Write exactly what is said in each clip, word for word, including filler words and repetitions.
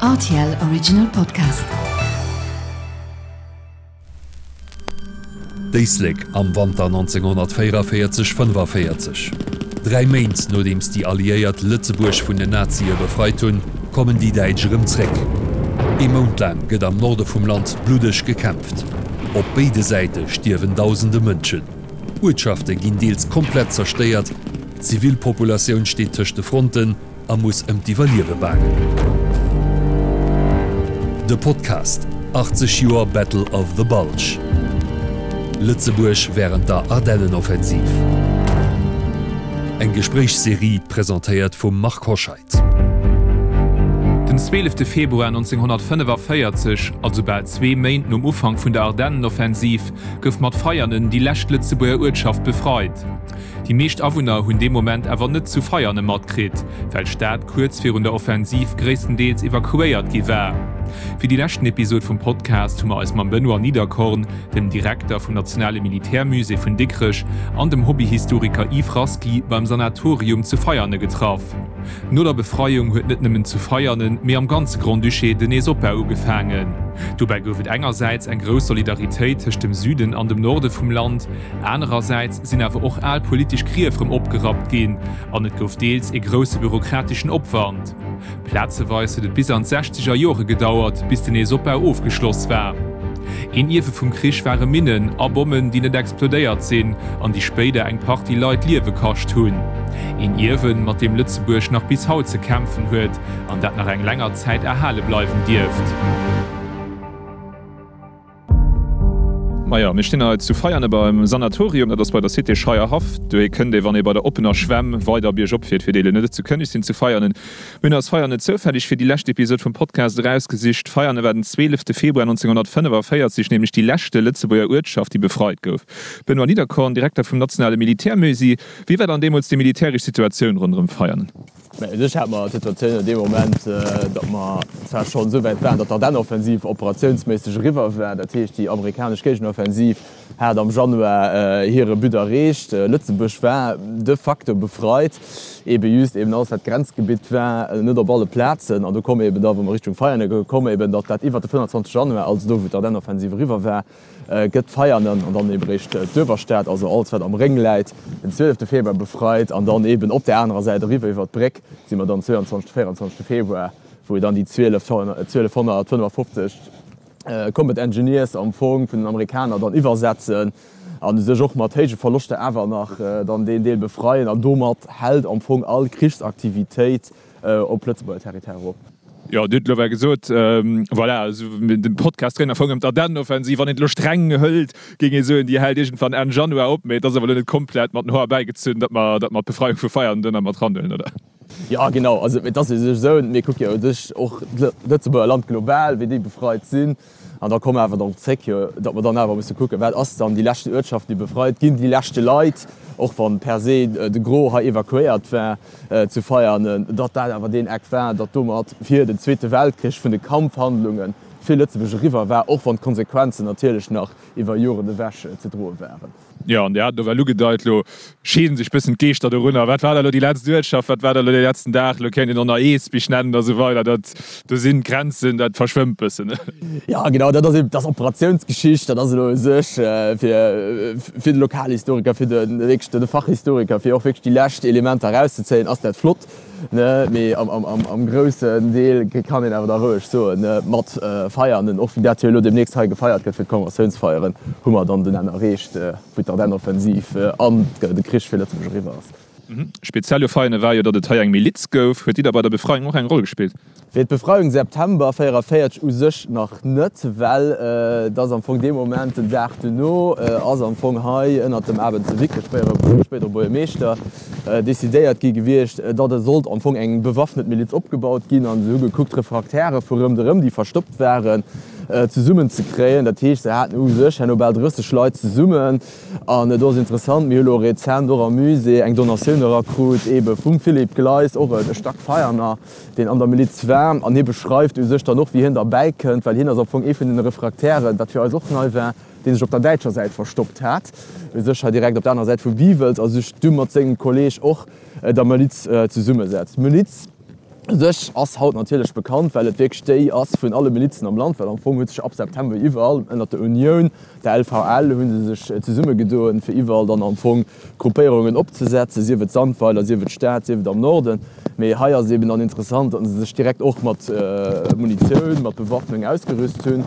R T L Original Podcast. D'Éislek am Wanter nonzénghonnertvéierenvéierzeg fënnefaviertzeg. Dräi Méint nodeems déi Alliéiert Lëtzebuerg vun den Nazie befreit hunn, kommen déi Däitsch erëm zréck. Ee Mount laang gëtt am Norde vum Land bluddeg gekämpft. Op béide Säite stierwen dausende Mënschen. Uertschafte ginn deels komplett zerstéiert, d'Zivilpopulatioun steet tëscht de Fronten a muss ëm d'Iwwerliewe baangen. De Podcast, achtzeg Joer Battle of the Bulge. Lëtzebuerg wärend der Ardennenoffensiv. Eng Gespréichsserie presentéiert vum Marc Hoscheid. Den zwielefte Februar nonzénghonnertfënnefavéierzeg, also bal zwee Méint nom Ufank vun der Ardennenoffensiv, gouf mat Veianen déi lescht Lëtzebuerger Uertschaft befreit. Déi meescht Awunner hunn dee Moment awer net zu Veiane matkritt, well d'Stad kuerz virun der Offensiv gréisstendeels evakuéiert gi war. Fir déi leschten Episod vum Podcast hu mer eis mam Benoît Niederkorn, dem Direkter vum Nationale Militärmusée vun Dikrech, an dem Hobbyhistoriker Yves Rasqui beim Sanatorium zu Veiane getraff. No der Befreiung huet net nëmmen zu Veianen, mee am ganze Grand-Duché den Neesopbau ugefaangen. Dobäi gouf et engersäits eng grouss Solidaritéit tëscht dem Süden an dem Norde vum Land, anerersäits sinn awer och al politesch Grief rëm opgerappt ginn an et gouf deels ee grousse bürokrateschen Opwand. Plazeweis huet et bis an d'sechzeger Jore gedauert, bis den Neesopbau ofgeschloss war. Een Ierwe vum Krich ware Minnen a Bommen, déi net explodéiert sinn an déi spéider eng Partie Leit d'Liewe kascht hunn. Een Ierwen, mat deem Lëtzebuerg nach bis haut ze kämpfen huet an dat nach eng länger Zäit erhale bleiwen dierft. Majo, mir stinn hei zu Veiane beim Sanatorium, dat ass bei der Cité Scheierhaff. Dohi kënnt ee wann ee bei der oppener Schwämm weider biergop fiert, fir déi elo net zu kënneg sinn zu Veianen. Mir hunn eis Veianen zoufälleg fir déi lescht Episod vum Podcast erausgesicht. Veiane war den zwielefte Februar nonzénghonnertfënnefavéierzeg nämlech déi leschte Lëtzebuerger Uertschaft, déi befreit gouf. Benoît Niederkorn, Direkter vum Nationale Militärmusée, wéi war dann deemools déi militäresch Situatioun ronderëm Veianen? Mä u sech hate mer d'Situatioun an deem Moment, datt mer zwar schonn esou wäit waren, datt d'Ardennenoffensiv operatiounsméisseg eriwwer war, dat heescht déi amerikanesch Géigenoffensiv hat am Januar hire But erreecht, Lëtzebuerg war de facto befreit, eebe just eben alles wat Grenzgebitt war, net op alle Plazen. An do koum eeben da, wou mer Richtung Veianen koum, eeben datt dat iwwert de fënnanzwanzeg Januar, also do wou d'Ardennenoffensiv eriwwer war, gëtt Veianen an dann eben eréischt d'Uewerstad, also alles wat am Réng läit, den zwielefte Februar befreit an dann eben op där anerer Säit eriwwer iwwer d'Bréck si mer dann zwéianzwanzeg, véierundzwanzeg Februar, wou dann déi zwielefhonnertfënnefafofzeg Combat Engineers am Fong vun den Amerikaner dann iwwersetzen an u sech och mat héije Verloschter awer nach dann deen Deel befreien an domat hält am Fong all Krichsaktivitéit op Lëtzebuerger Territoire op. Jo, Dir hutt elo well gesot, voilà, also de Podcast dréint am Fong ëm d'Ardennenoffensiv. Wann een et elo streng hëlt, géing ee soen, déi hält iergendwann Enn Januar op. Mee et ass awer elo net komplett mat den Hoer bäigezunn, datt mer, datt mer d'Befreiung vu Veianen duerno mat ranhuelen, oder? Jo, genau. Also et ass u sech esou, mir kucke jo u sech och d'Lëtzebuerger Land global, wéi déi befreit sinn. An da komme mer awer drop zréck, jo, datt mer dann awer musse kucken, wat ass dann déi leschten Uertschaften, déi befreit ginn, déi leschte Leit, och wann per se de Gros hei evakuéiert war, zu Veianen, datt dat awer deen Eck war, datt domat fir den Zweete Weltkrich vun de Kampfhandlunge fir Lëtzebuerg eriwwer war, och wann d'Konsequenzen natierlech nach iwwer Joren ewech ze droe waren. Jo, an Dir hat et ewell ugedeit, elo scheeden sech bëssen d'Geeschter dorunner, wat war da elo déi letzt Uertschaft, wat war da elo dee letzten Dag, elo kéint een och nach Eesbich nennen a sou weider, dat, do sinn d'Grenzen, dat verschwëmmt bëssen. Jo, genau, dat ass eben, dat ass Operatiounsgeschicht, dat ass elo u sech fir, fir de Lokalhistoriker, fir de wierklech de Fachhistoriker, fir och wierklech déi lescht Elementer erauszezéien, ass dat flott. Ne, mee am groussen Deel kann een awer da roueg soen, ne, mat Feiern, och wéi dat jo elo deemnächst hei gefeiert gëtt fir d'Conventiounsfeieren, hu mer dann den Enn erreecht, wou d'Ardennenoffensiv an de Krich fir Lëtzebuerg eriwwer ass. Speziell u Veianen war jo, datt et hei eng Miliz gouf. Huet déi da bei der Befreiung och eng Roll gespillt? Fir d'Befreiung September véierundavéierzeg u sech nach net, well et ass am Fong dee Moment, den Dag duerno ass am Fong hei ënnert dem Aben zu Wicke, spéidere Buergermeeschter, decidéiert gi gewiescht, datt et sollt am Fong eng bewaffnet Miliz opgebaut ginn. An se hu gekuckt, d'Refraktäre vu rëmderëm, déi verstoppt waren, zesummen ze kréien. Dat heescht, se haten u sech herno bal drësseg Leit zesummen. An et ass interessant, mir hu lo rezent och am Musée eng Donatioun erakrut, eebe vum Philippe Gleis, och e Stackveianer, deen an der Miliz war, an hie beschreift u sech dann och, wéi hien derbäi kënnt, well hien ass am Fong ee vun den Refraktären, wat fir eis och nei war, dee sech op der däitscher Säit verstoppt hat, u sech hei direkt op der anerer Säit vu Wiwels, a sech du mat sengem Kolleeg och der Miliz zesummesetzt. D'Miliz U sech ass haut natierlech bekannt, well et wierklech déi ass vun alle Milizen am Land, well am Fong huet sech ab September iwwerall ënnert der Unioun, der LVL, hu se sech zesummegedoen, fir iwwerall dann am Fong Gruppéierungen opzesetzen, sief et Sandweiler, sief et Stad, sief et am Norden. Mee hei ass eben dann interessant, datt se sech direkt och mat Munitioun, mat Bewaffnung ausgerüst hunn.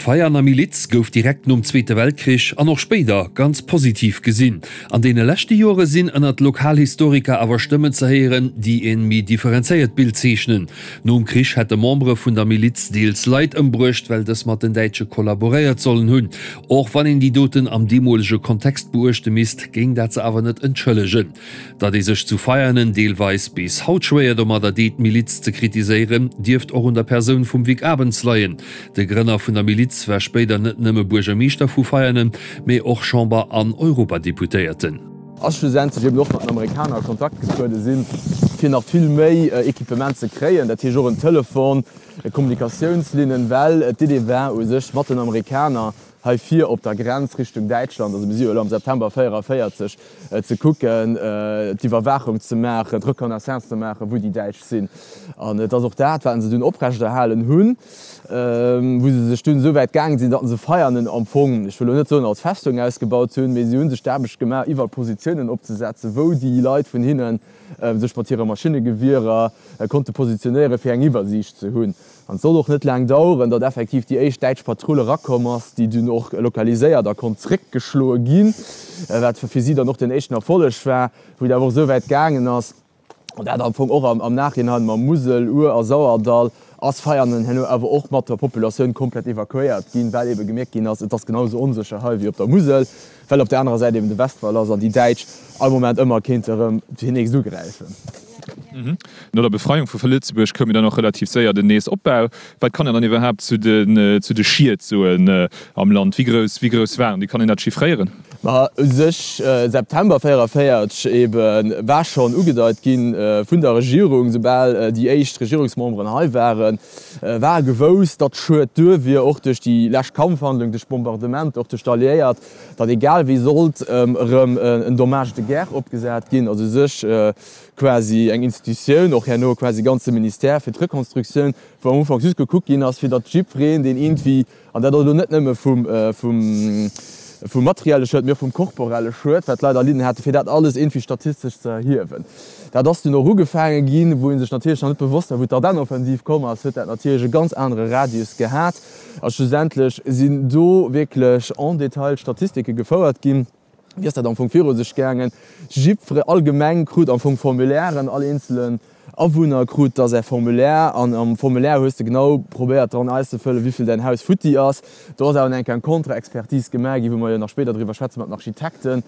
D'Veianer Miliz gouf direkt nom Zweete Weltkrich an och spéider ganz positiv gesinn. An deene leschte Jore sinn ënnert Lokalhistoriker awer Stëmmen ze héieren, déi e méi differenzéiert Bild zeechnen. Nom Krich hätte Membere vun der Miliz deels Leit ëmbruecht, well dës mat den Däitsche kollaboréiert sollen hunn. Och wann een déi Doten am deemolege Kontext beuechte misst, géing dat se awer net entschëllegen. Datt ee sech zu Veianen deelweis bis haut schwéier domadder deet, d'Miliz ze kritiséieren, dierft och un der Persoun vum Vic Abens leien. De Grënner vun der Miliz war spéider net nëmme Buergermeeschter vu Veianen, mee och Chamber an Europadeputéierten. A schlussendlech eben och mat den Amerikaner a Kontakt getruede sinn, fir nach vill méi Equipement ze kréien, dat heescht och en Telefon, Kommunikatiounslinnen, well d'Idee war u sech mat den Amerikaner hei vir op der Grenz Richtung Däitschland, also mir si jo elo am September véieraféierzeg, ze kucken, d'Iwwerwaachung ze maachen, d'Reconnaissance ze maachen, wou déi Däitsch sinn. An et ass och dat, wat se dunn oprechterhalen hunn, wou se sech dunn esou wäit gaange sinn, datt se Veianen am Fong, ech wëll elo net soen als Festung ausgebaut hunn, mee si hu sech d'Aarbecht gemaach, iwwerall Positiounen opzesetzen, wou déi Leit vun hinne sech mat hire Maschinnegewierer konnte positionéieren, fir eng Iwwersiicht ze hunn. An et sollt och net laang daueren, datt effektiv déi éischt däitsch Patrull erakomm ass, déi dunn och lokaliséiert a konnt zréckgeschloe ginn, wat fir si dann och den éischten Erfolleg war, wou et awer och esou wäit gaangen ass, an dat am Fong och am Nachhinein mam Musel-, Our a Sauerdall, ass Veianen herno awer och mat der Populatioun komplett evakuéiert ginn, well ebe gemierkt ginn ass, et ass genau esou onsécher hei wéi op der Musel, well op der anerer Säit eben de Westwall ass an déi Däitsch all Moment ëmmer kéinte erëm fir nächst ugräifen. No der Befreiung vu Lëtzebuerg koum jo dann och relativ séier den Neesopbau. Wat kann een dann iwwerhaapt zu den zu de Schied soen am Land? Wéi grouss wéi grouss waren déi? Kann een dat chiffréieren? Ma u sech September véieraféierzeg ebe war schonn ugedeit gi vun der Regierung, soubal déi éischt Regierungsmemberen hei waren, war gewousst, datt Schued duer wier, och duerch déi lescht Kampfhandlung, duerch d'Bombardementer, och duerch d'Alliéiert, datt egal wéi sollt erëm en Dommage de guerre opgesat ginn, also u sech quasi eng Institutioun, och herno quasi ganze Ministère fir d'Rekonstruktioun, wou am Ufank just gekuckt ginn ass, fir datt jiddwereen, deen iergendwéi, an dat ass elo net nëmme vum, vum, vum materielle Schued, mee och vum korporelle Schued, wat d'Leit erlidden haten, fir dat alles iergendwéi statistesch ze erhiewen. Dat ass dunn och ugefaange ginn, wou ee sech natierlech nach net bewosst war, wou d'Ardennenoffensiv komm ass, huet dat natierlech e ganz anere Radius gehat. A schlussendlech sinn do wierklech en détail Statistike gefouert ginn. Wéi ass dat am Fong viru sech gaangen? Jiddfere, all Gemeng krut am Fong Formulairen, all eenzelen Awunner krut da säi Formulaire an am Formulaire hues de genau probéiert dran auszefëllen, wéivill däin Haus futti ass. Do ass awer eng Kéier eng Contre-Expertise gemaach ginn, wou mer jo nach spéider driwwer schwätzen mat den Architekten.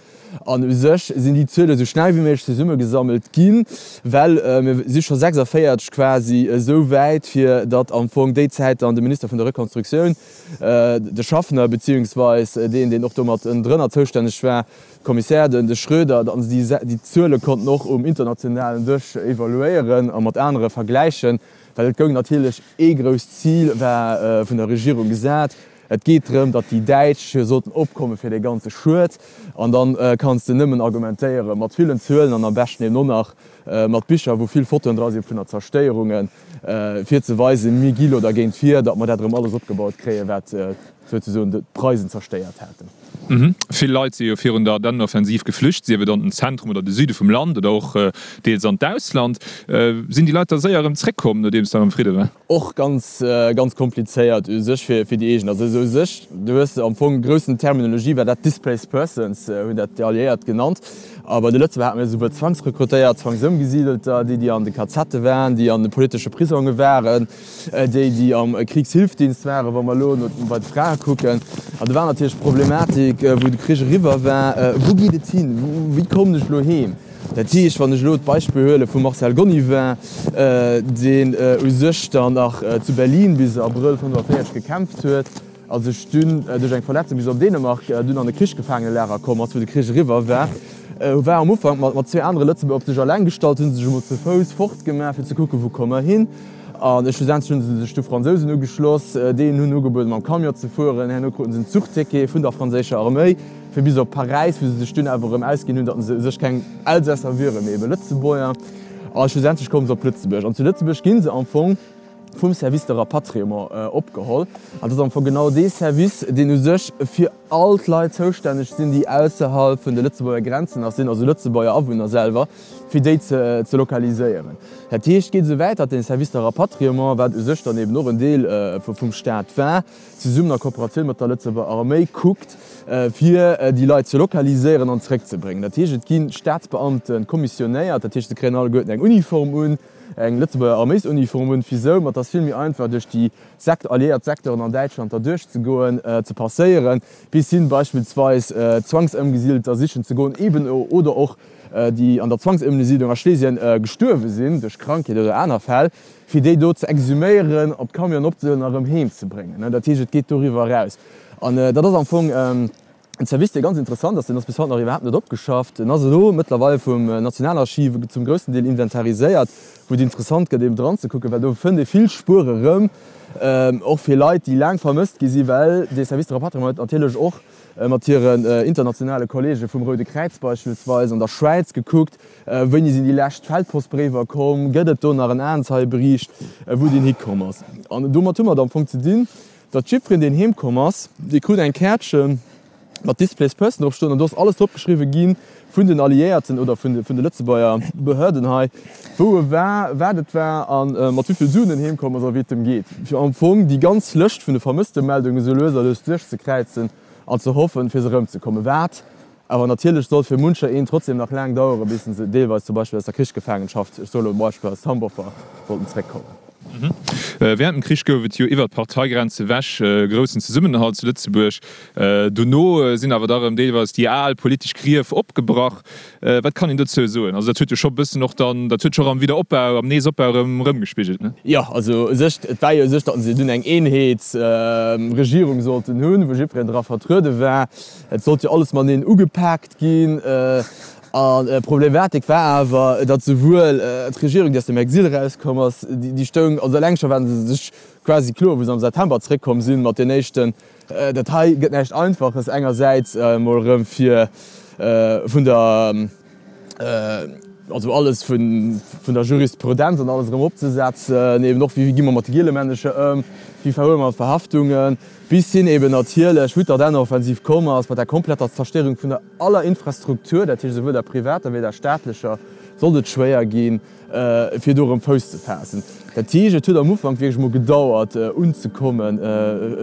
An u sech sinn déi Zuele sou schnell wéi méiglech zesummegesammelt ginn, well mir si scho sechsundvéierzeg quasi esou wäit, fir datt am Fong déi Zäit dann de Minister vun der Rekonstruktioun, de Schaffner, beziehungsweis deen, deen och domat ënnendrënner zoustänneg war, Kommissär, den de Schröder, datt se déi Zuele konnten och um internationalen Dësch evaluéieren a mat anere vergläichen, well et goung natierlech, ee grousst Zil war vun der Regierung gesat, et geet drëm, datt déi Däitsch sollten opkomme fir dee ganze Schued. An da kanns de nëmmen argumentéiere mat villen Zuelen an am beschten eben och nach mat Bicher, wou vill Fotoen dra si vun der Zerstéierungen, fir ze weisen, mir gi lo dergéint vir, datt mer dat erëm alles opgebaut kréien, wat souzesoen d'Preisen zerstéiert haten. Vill Leit si jo virun der Ardennenoffensiv geflücht, sief et an den Zentrum oder de Süde vum Land oder och deels an d'Ausland. Sinn déi Leit da séier erëm zréckkomm, nodeems da erëm Fridde war? Och ganz, ganz komplizéiert u sech fir déi eegen. Also u sech, du hues am Fong groussen Terminologie war dat displaced persons, hunn dat déi Alliéiert genannt. A bei de Lëtzebuerger hate mir esouwuel Zwangsrekrutéiert, Zwangsëmgesidelter, déi, déi an de Kazette waren, déi an de politesche Prisonge waren, déi, déi am Kriegshilfsdienst waren, wa mer elo bei de Frae kucken. An do war natierlech d'Problematik, wou de Krich eriwwer war, Wou geet et hin? Wéi kommen ech elo heem? Dat heescht, wann ech elo d'Beispill huele vum Marcel Gonnivin, deen u sech dann nach zu Berlin bis Abrëll fënnefaféierzeg gekämpft huet, a sech dunn duerch eng Verletzung bis op Dänemark dunn an e Krichsgefaangenelager komm ass, wou de Krich eriwwer war, war am Ufank mat zwee anere Lëtzebuerger op sech eleng gestallt, hu sech emol ze Fouss fortgemaach, fir ze kucken, wou komme mer hin. A schlussendlech hu se sech du Fransousen ugeschloss, deenen hunn ugebueden, mam Camion ze fueren. Herno kruten se en Zuchticket vun der franséischer Arméi fir bis op Paräis, wou se sech dunn awer erëm ausginn hunn, datt se u sech keng Elsässer wieren, mee ebe Lëtzebuerger. A schlussendlech komme se op Lëtzebuerg. An zu Lëtzebuerg gi se am Fong vum Service de rapatriement opgeholl. An dat ass am Fong genau dee Service, deen u sech fir all d'Leit zoustänneg sinn, déi ausserhalb vun de Lëtzebuerger Grenzen nach sinn, also Lëtzebuerger Awunner selwer, fir déi ze lokaliséieren. Dat heescht, et geet esou wäit, datt dee Service de rapatriement, wat u sech dann eben och en Deel vum Staat war, zesummen a Kooperatioun mat der Lëtzebuerger Arméi kuckt, fir déi Leit ze lokaliséieren an zeréckzebréngen. Dat heescht, et gi Staatsbeamte kommissionéiert, dat heescht, se kréien alleguerten eng Uniform un, eng Lëtzebuerger Arméisuniform un, fir sou, mat ass vill méi einfach duerch déi alliéiert Secteuren an Däitschland da duerchzegoen, ze passéieren, bis hin beispillsweis Zwangsëmgesidelter sichen ze goen, eben oder och déi an der Zwangsëmgesiedlung a Schlesien gestuerwe sinn duerch Krankheet oder aner Fäll, fir déi do ze exhuméieren, op d'Camionen opzehuelen a rëm heem ze bréngen. Dat heescht, et geet doriwwer eraus. An dat ass am Fong en Service, dee ganz interessant ass. Deen ass bis haut nach iwwerhaapt net opgeschafft. En ass elo mëttlerweil vum Nationalarchiv zum groussen Deel inventariséiert, wou et interessant gëtt, eben dran ze kucken, well do fënnt ee vill Spuere rëm, och fir Leit, déi laang vermësst gi sinn, well dee Service de rapatriement huet natierlech och mat hiren internationale Kollege vum Roude Kräiz beispillsweis an der Schwäiz gekuckt, wéini sinn déi lescht Feldpostbréiwer komm, gëtt et do nach en Aenzeiebericht, wou deen hikomm ass. An domat hu mer et am Fong ze dinn, datt jiddwereen, deen heemkomm ass, dee krut eng Käertche mat Displaced Person drop stoen an do ass alles drop geschriwwe gi vun den Alliéierten oder vun de Lëtzebuerger Behörden hei, wou e war, wat et war a mat wéi vill Suen en heemkomm ass a wéi et em geet, fir am Fong déi ganz Lëscht vun de Vermësstemeldungen esou lues a lues duerchzekräizen an ze hoffen, fir se erëmzekommen, wat awer natierlech sollt fir muncher een trotzdem nach laang daueren, bis se deelweis zum Beispill aus der Krichsgefaangenschaft, ech soe lo e Beispill, aus Tambower sollten zeréckkommen. Während dem Krich gouf et jo iwwer d'Parteigrenze ewech e groussen Zesummenhalt zu Lëtzebuerg. Dono sinn awer da rëm deelweis déi al politesch Grief opgebrach. Wat kann een dozou soen? Also dat huet jo scho bëssen och dann, dat huet scho am Wiederopbau, am Neesopbau erëm erëmgespigelt, ne? Jo, also u sech, et war jo u sech, datt se dunn eng Eenheetsregierung sollten hunn, wou jiddwereen dra vertruede war. Et sollt jo alles mateneen ugepaakt ginn. An d'Problematik war awer, datt souwuel d'Regierung, déi aus dem Exil erauskomm ass, déi stoung, also eleng scho waren se sech quasi kloer, wou se am September zeréckkomm sinn, mat den éischten, dat hei gëtt näischt Einfaches, engersäits emol erëm fir vun der, also alles vun der Jurisprudenz an alles erëm opzesetzen, eben och wéi gi mer mat de Gielemännecher ëm, wéi verhuele mer d'Verhaftungen, bis hin eben natierlech, wou d'Ardennenoffensiv komm ass, mat der kompletter Zerstéierung vun der aller Infrastruktur, dat heescht esouwuel der privater wéi der staatlecher, sollt et schwéier ginn, fir do erëm Fouss ze faassen. Dat heescht, et huet am Ufank wierklech emol gedauert unzekommen,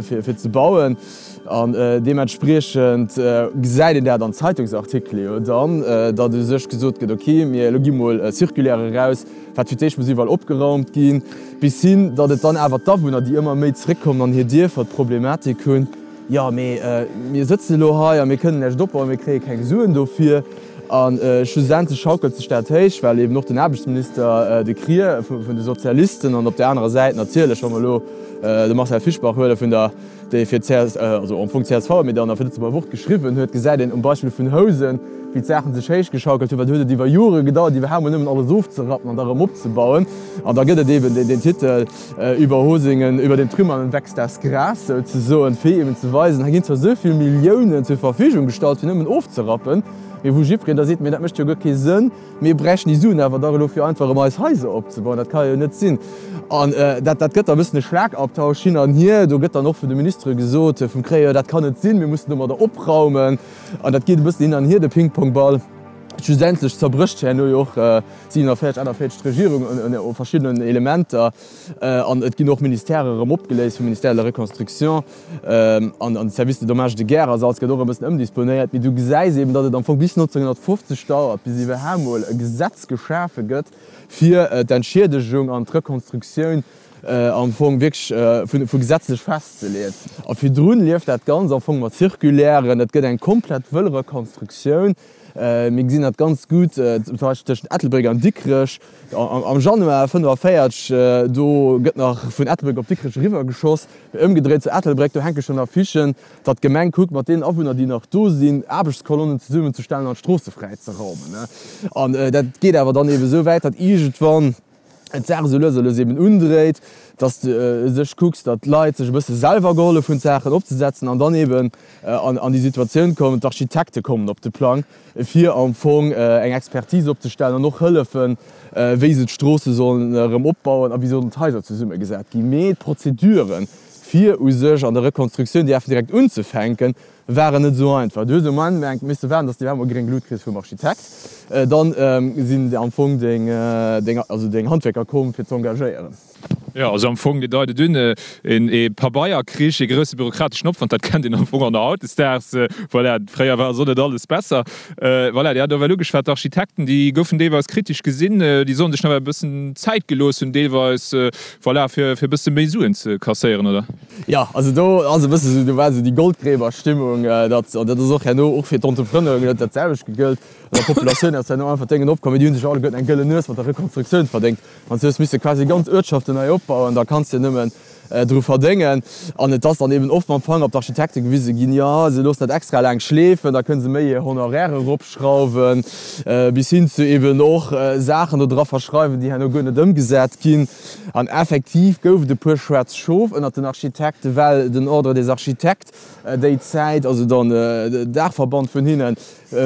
fir ze bauen. An deementspriechend gesäit een dat an Zeitungsartikele jo dann, datt u sech gesot gëtt, ok, mir elo gi mol Circulaire eraus, wat fir d'éischt muss iwwerall opgeraumt ginn, bis hin, datt et dann awer d'Awunner, déi ëmmer méi zréckkommen an hir Dierfer, d'Problematik hunn, jo mee mir sëtzen elo hei a mir kënnen näischt opbauen, mir kréie keng Suen dofir. A schlussendlech schaukelt sech dat héich, well eben och den Aarbechtsminister de Krier vun de Sozialisten an op där anerer Säit natierlech, wa mer elo de Marcel Fischbach huele vun der, dee fir d'CS, also am Fong csv, mee dann a fir d'Lëtzebuerger Wort geschriwwen huet, gesäit een um Beispill vun Housen, wéi d'Saachen sech héichgeschaukelt hunn, well do huet et iwwer Jore gedauert, iwwerhaapt mol nëmmen alles ofzerappen an da erëm opzebauen. An da gëtt et eben deen Titel Über Hosingen, über den Trümmern wächst das Gras, souzesoen, fir eben ze weisen, hei ginn zwar esou vill Milliounen zur Verfügung gestallt, fir nëmmen ofzerappen, mee wou jiddwereen da seet, mee dat mécht jo guer kee Sënn, mir bräichten déi Suen awer dach elo fir einfach erëm eis Haiser opzebauen, dat ka jo net sinn. An dat dat gëtt da e bëssen e Schlagabtausch hin an hier. Do gëtt dann och vun de Ministere gesot, vum Créer, dat kann net sinn, mir mussen domadder opraumen. An dat geet e bëssen hin an hier, de Pingpongball. Schlussendlech zerbrécht herno jo och siewenundvierzeg, achtundvierzeg d'Regierung u verschiddenen Elementer an et ginn och Ministèrë erëm opgeléist, vum Ministère de la Reconstruction an de Service des dommages de guerre ass alles gëtt och e bëssen ëmdisponéiert. Mee du gesäis eben, datt et am Fong bis neunzehnhundertfünfzig dauert, bis iwwerhaapt mol e Gesetz geschafe gëtt, fir d'Entschiedegung an d'Rekonstruktioun am Fong wierklech vu gesetzlech festzeleeën. A virdrun lieft dat Ganzt am Fong mat Circulairen, et gëtt eng komplett wëll Rekonstruktioun. Mir gesinn dat ganz gutt zum Beispill tëschent Ettelbréck an Dikrech am Januar fënnefavéierzeg, do gëtt nach vun Ettelbréck op Dikrech eriwwer geschoss. Mee ëmgedréit zu Ettelbréck, do hänke schonn Affichen, datt d'Gemeng kuckt, mat deenen Awunner, déi nach do sinn, Aarbechtskolonnen zesummenzestellen an d'Stroosse fräi ze raumen. An dat geet awer dann eebe sou wäit, datt iergendwann d'Saach esou lues a lues eben undréit, dass de u sech kucks, datt d'Leit sech e bësse selwer gehollef hunn, d'Saachen opzesetzen an dann eben an déi Situatioun kommen, d'Architekte kommen op de Plang, fir am Fong eng Expertise opzestellen an och hëllefen, wéi se d'Stroosse sollen erëm opbauen a wéi sollen d'Haiser zesummegesat ginn. Mee d'Prozeduren, fir u sech an der Rekonstruktioun déi direkt unzefänken, waren net esou einfach. Du hues um Ufank misse waarden, dass de iwwerhaapt mol gréng Lut kriss vum Architekt. Dann sinn am Fong deng, also deng Handwierker komm, fir z'engagéieren. Jo, also am Fong, Dir deit et un, ee Pabeierkrich, ee grousse bürokrateschen Opwand, dat kennt een am Fong och nach hautdesdaags. Voilà, fréier war also net alles besser. Voilà, Dir hat ewell ugeschwat, d'Architekten, déi goufen deelweis kritesch gesinn, déi sollen sech nawell e bëssen Zäit gelooss hunn deelweis, voilà, fir e bësse méi Suen ze kasséieren, oder? Jo, also do ass e bësse sou, do war esou déi Goldgräberstimmung, datt, an dat ass och herno och fir d'Entrepreneuren huet dat selwecht gegëllt, an der Populatioun ass herno einfach d'Déngen opkomm, mee déi hu sech alleguerten eng gëllen Nues mat der Rekonstruktioun verdéngt. Wann s du hues misse quasi ganz Uertschaften nei opbauen, da kanns de nëmmen dru verdéngen. An et ass dann eben oft mam Fanger op d'Architekte gewise ginn, jo, se loossen dat extra laang schleefen, da kënne se méi hir Honoraire eropschrauwen, bis hin zu eben och Saachen do dra verschreiwen, déi herno guer net ëmgesat ginn. An effektiv gouf et e puer schwaarz Schof ënnert den Architekten, well den Ordre des architectes déi Zäit, also dann den Daachverband vun hinnen,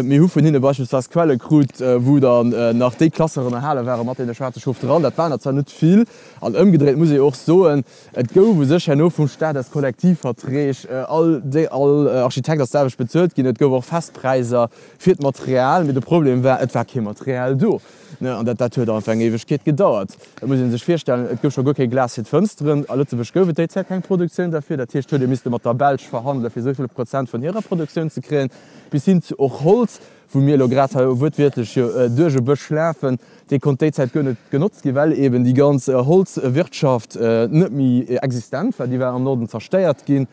mir hu vun hinne beispillsweis Quelle krut, wou dann nach déi Klasseren erhale ware mat deene schwaarze Schof dran. Dat waren der zwar net vill. An ëmgedréit muss ee och soen, et gouf u sech herno vum Staat aus Kollektivverträg, all all Architekt ass d'selwecht bezuelt ginn, et gouf och fest Präiser fir d'Material, mee de Problem war, et war kee Material do. An dat dat huet einfach eng Éiwegkeet gedauert. Et muss ee sech virstellen, et gouf scho guer kee Glas fir d'Fënsteren. A Lëtzebuerg gouf et déi Zäit keng Produktioun derfir. Dat heescht, huet ee misste mat der Belsch verhandelen, fir esou vill Prozent vun hirer Produktioun ze kréien, bis hin zu och Holz, wou mir elo grad hei wuertwiertlech jo duerch e Bësch lafen, dee konnt déi Zäit guer net genotzt ginn, well eeben déi ganz Holzwirtschaft net méi existent war. Déi war am Norden zerstéiert ginn.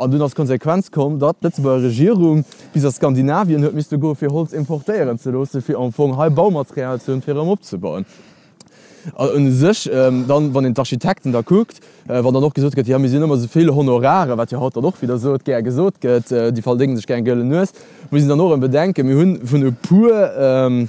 An dunn ass d'Konsequenz komm, datt d'Lëtzebuerger Regierung bis a Skandinavien huet misste goen, fir Holz importéieren ze loossen, fir am Fong hei Baumaterial ze hunn, fir erëm opzebauen. An u sech dann, wann een d'Architekten da kuckt, wann dann och gesot gëtt, jo mir sinn ëmmer esou vill Honorare, wat jo haut dann och widder sot gär gesot gëtt, déi verdéngen sech gär eng gëllen Nues, muss een dann och erëm bedenken, mir hu vun e puer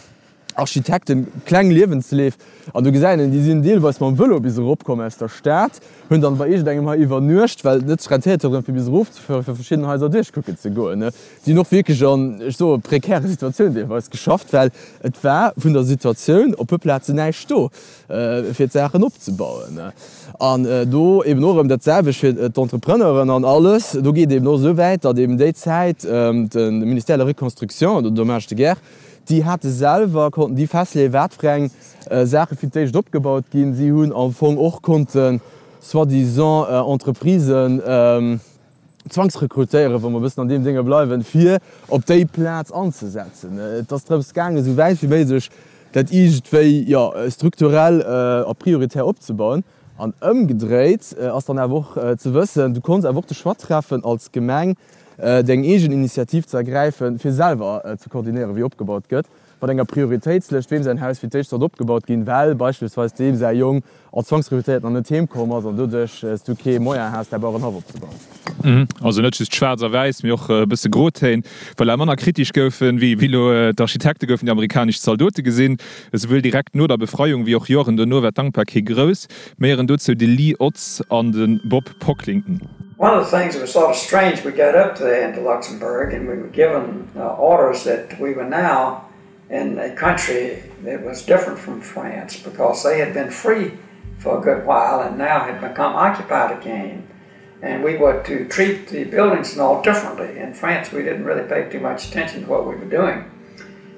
Architekten kleng Liewensleef an do gesäit een, déi sinn deelweis mam Vëlo bis eropkomm aus der Stad, hunn dann bei iergendengem hei iwwernuecht, well et net sech rentéiert huet erëm fir bis erofzefueren, fir verschidden Haiser duerchkucken ze goen. Déi hunn och wierklech an, ech soe prekäre Situatiounen deelweis geschafft, well et war vun der Situatioun op puer Plazen näischt do, fir d'Saachen opzebauen. An do eben och erëm dat selwecht fir d'Entrepreneuren an alles. Do geet eben och esou wäit, datt eben déi Zäit de Ministère de la Reconstruction oder Dommages de guerre, déi hate selwer, konnten déi festleeën, wat fir eng Saache fir d'éischt opgebaut ginn. Si hunn am Fong och konnte soi-disant Entreprisen zwangsrekrutéieren, wa mer e bëssen an deem Dénge bleiwen, fir op déi Plaz anzesetzen. Et ass drëms gaangen, esou wäit wéi méiglech dat iergendwéi, jo, strukturell a prioritär opzebauen. An ëmgedréit ass dann awer och ze wëssen, du konns awer och de Choix treffen als Gemeng, deng eegen Initiativ ze ergräifen, fir selwer ze koordinéieren, wéi opgebaut gëtt, mat enger Prioritéitslëscht, weem säin Haus fir d'éischt sollt opgebaut ginn, well beispillsweis deem säi Jong als Zwangsrekrutéiert nach net heem komm ass an doduerch s du kee Moyen has, däi Bauerenhaff opzebauen. Also net just schwaarz a wäiss, mee och e bësse Grotéin. Voilà, manner kritesch goufen, wéi elo d'Architekte goufen déi amerikanesch Zaldote gesinn. Esouwuel direkt no der Befreiung wéi och Joren dono war d'Dankbarkeet grouss. Méi héieren dozou de Lee Otts an de Bob Pocklington. One of the things that was sort of strange, we got up there into Luxembourg and we were given uh, orders that we were now in a country that was different from France because they had been free for a good while and now had become occupied again. And we were to treat the buildings and all differently. In France, we didn't really pay too much attention to what we were doing.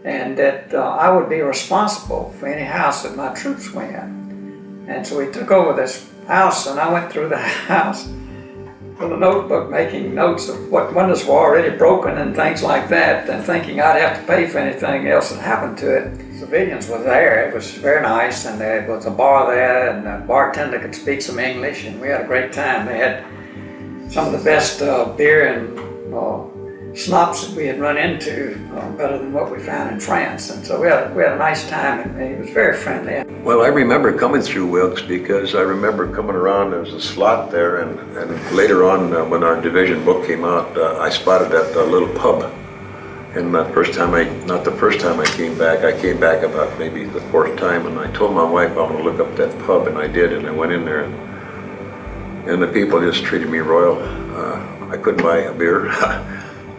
And that uh, I would be responsible for any house that my troops were in. And so we took over this house, and I went through the house with a notebook making notes of what windows were already broken and things like that, and thinking I'd have to pay for anything else that happened to it. Civilians were there. It was very nice, and there was a bar there, and the bartender could speak some English, and we had a great time. They had some of the best uh, beer and uh, schnapps that we had run into, uh, better than what we found in France. And so we had, we had a nice time, and he was very friendly. Well, I remember coming through Wilkes because I remember coming around, there was a slot there, and, and later on uh, when our division book came out, uh, I spotted that uh, little pub. And the first time I, not the first time I came back, I came back about maybe the fourth time, and I told my wife I want to look up that pub, and I did, and I went in there, and, and the people just treated me royal. Uh, I couldn't buy a beer.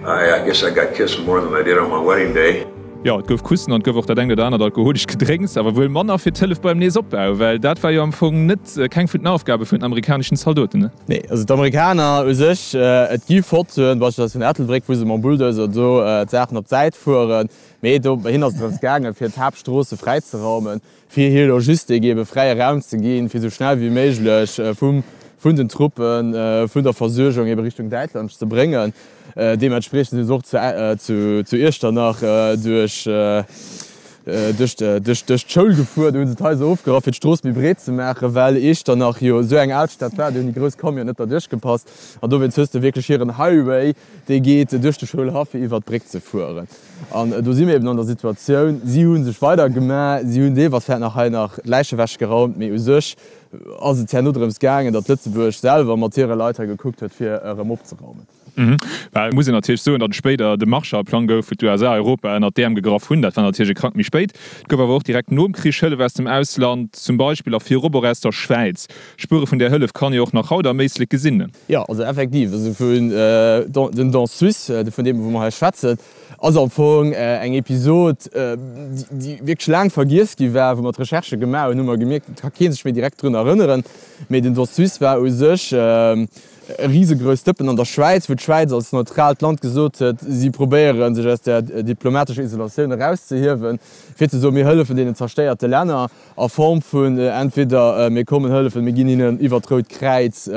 I, I guess I got kissed more than I did on my wedding day. Jo, et gouf Kussen an et gouf och dat engt oder anert alkoholescht Gedrénks, awer wuel manner fir d'Hëllef beim Neesopbau, well dat war jo am Fong net, keng vun den Aufgabe vun den amerikaneschen Zaldoten, ne? Nee, also d'Amerikaner u sech, et gi Fotoen, beispillsweis vun Ettelbréck, wou se mam Bulldozer do d'Saachen op d'Säit fueren, mee do bei hinnen ass et drëms gaangen, fir d'Haaptstroosse fräizeraumen, fir hir Logistik eebe fräie Raum ze ginn, fir esou schnell wéi méiglech vum, vun den Truppen, vun der Versuergung eebe Richtung Däitschland ze bréngen. Deementspriechend si se och zu Iechternach duerch d'Schoul gefuer. Do hu se d'Haiser ofgerappt, fir d'Strooss méi breet ze maachen, well Iechternach jo esou eng Alstad war, do hunn déi grouss Camionen net derduerch gepasst. An dowéinst hues de wierklech hiren Highway, dee geet duerch de Schoulhaff, fir iwwert d'Bréck ze fueren. An do si mir eben an der Situatioun, si hu sech weider gemaach, si hunn deelweis vläicht nach hei nach Läiche ewechgeraumt, mee u sech ass et herno drëms gaangen, datt Lëtzebuerg selwer mat hire Leit hei gekuckt huet, fir erëm opzeraumen. Well et muss een natierlech soen, datt et spéider de Marshallplang gouf, wou d'USA Europa ënnert d'Äerm gegraff hunn. Dat war natierlech e Krack méi spéit. Et gouf awer och direkt nom Krich Hëllef aus dem Ausland, zum Beispill a virop och aus der Schwäiz. Spuere vun där Hëllef kann ee och nach haut am Éislek gesinn. Jo, also effektiv, also vun den Don Suisse, vun deem wou mer hei schwätzen, ass am Fong eng Episod, déi wierklech laang vergiess gi war. Wou mer d'Recherchë gemaach hunn, hu mer gemierkt, et ka kee sech méi direkt drun erënneren, mee den Don Suisse war u sech e risegrousst Dëppen an der Schwäiz, wou d'Schwäiz als neutraalt Land gesot huet, si probéiere sech aus där diplomatescher Isolatioun erauszehiewen, fir ze soen, mir hëllefen deenen zerstéierte Länner a Form vun entweder mir kommen hëllefen, mir ginn hinnen iwwer d'Rout Kräiz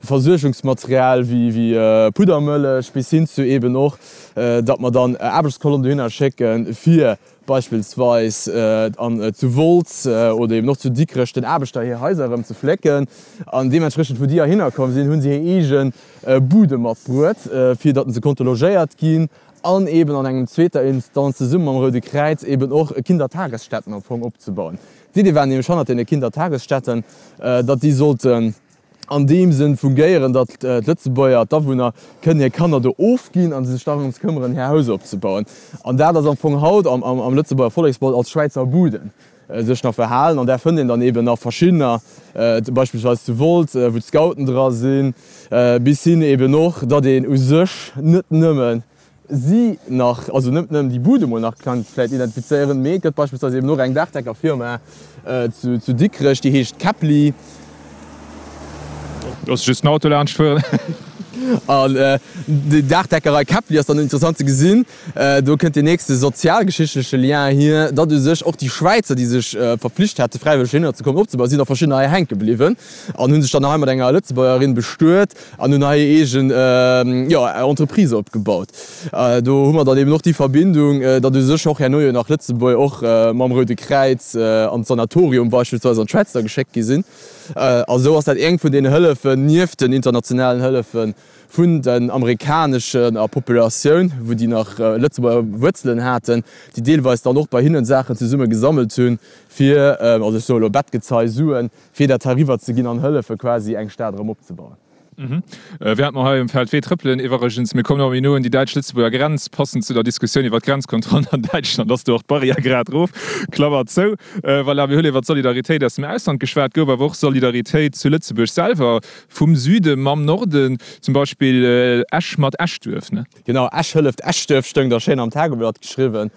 Versuergungsmaterial wéi Puddermëllech, bis hin zu eben och, datt mer dann Aarbechtskolonn dohinner schécken, fir beispillsweis an zu Wolz oder eben och zu Dikrech den Aarbechter hir Haiser erëm ze flécken. An deementspriechend, wou déi heihinner komm sinn, hu se hir eege Bude matbruet, fir datt se konnte logéiert ginn an eben an engem zweeter Instanz zesumme mam Roude Kräiz eben och Kindertagesstätten am Fong opzebauen. D'Idee war nämlech hannert deene Kindertagesstätten, datt déi sollten an deem Sënn fungéieren, datt d'Lëtzebuerger, d'Awunner, kënnen hir Kanner do ofginn a sech dorëms këmmeren, hir Haus opzebauen. An dat ass am Fong haut am Lëtzebuerger Volleksmond als Schwäizer Buden sech nach verhalen. An där fënnt een dann eben nach verschiddener, beispillsweis zu Wolz, wou d'Scouten dra sinn, bis hin eben och, datt een u sech net nëmmen si nach, also net nëmmen déi Bude mol nach kann vläit identifizéieren, mee et gëtt beispillsweis eben och eng Daachdeckerfirma zu Dikrech, déi heescht Käppli. Looss just den Auto laanscht fueren. An déi Daachdeckerei Käppli ass dann interessant ze gesinn. Do kënnt deen nächste sozialgeschichtleche Lien hier, datt u sech och déi Schwäizer, déi sech verpflicht hate fräiwëlleg heihinner ze kommen, opzebauen, sinn der verschiddener hei hänke bliwwen an hu sech dann hei mat enger Lëtzebuergerin bestuet an hunn hei hir eegen, jo, Entreprise opgebaut. Do hu mer dann eben och déi Verbindung, datt u sech och herno jo nach Lëtzebuerger och mam Roude Kräiz an d'Sanatorium beispillsweis an d'Schwäiz da geschéckt gi sinn. A sou ass dat eng vun deenen Hëllefen, nieft den internationalen Hëllefe vun den amerikaneschen a Populatioun, wou déi nach Lëtzebuerger Wuerzelen haten, déi deelweis dann och bei hinnen Saachen zesumme gesammelt hunn, fir, also ech soe elo Bettgezei, Suen, fir dat hei riwwer ze ginn an hëllefe quasi eng Stad erëm opzebauen. Während mer hei um Feldwee trëppelen, iwwerregens, mir kommen ëmmer méi no un déi däitsch-lëtzebuerger Grenz, passend zu der Diskussioun iwwer d'Grenzkontrollen an Däitschland ass do och d'Barrière grad erof, Klammer zou. Voilà, mir hunn iwwer d'Solidaritéit aus dem Ausland geschwat, gouf awer och Solidaritéit zu Lëtzebuerg selwer, vum Süde mam Norden, zum Beispill Esch mat Eschduerf, ne? Genau, Esch hëlleft Eschduerf stoung da schéin am Tageblatt geschriwwen.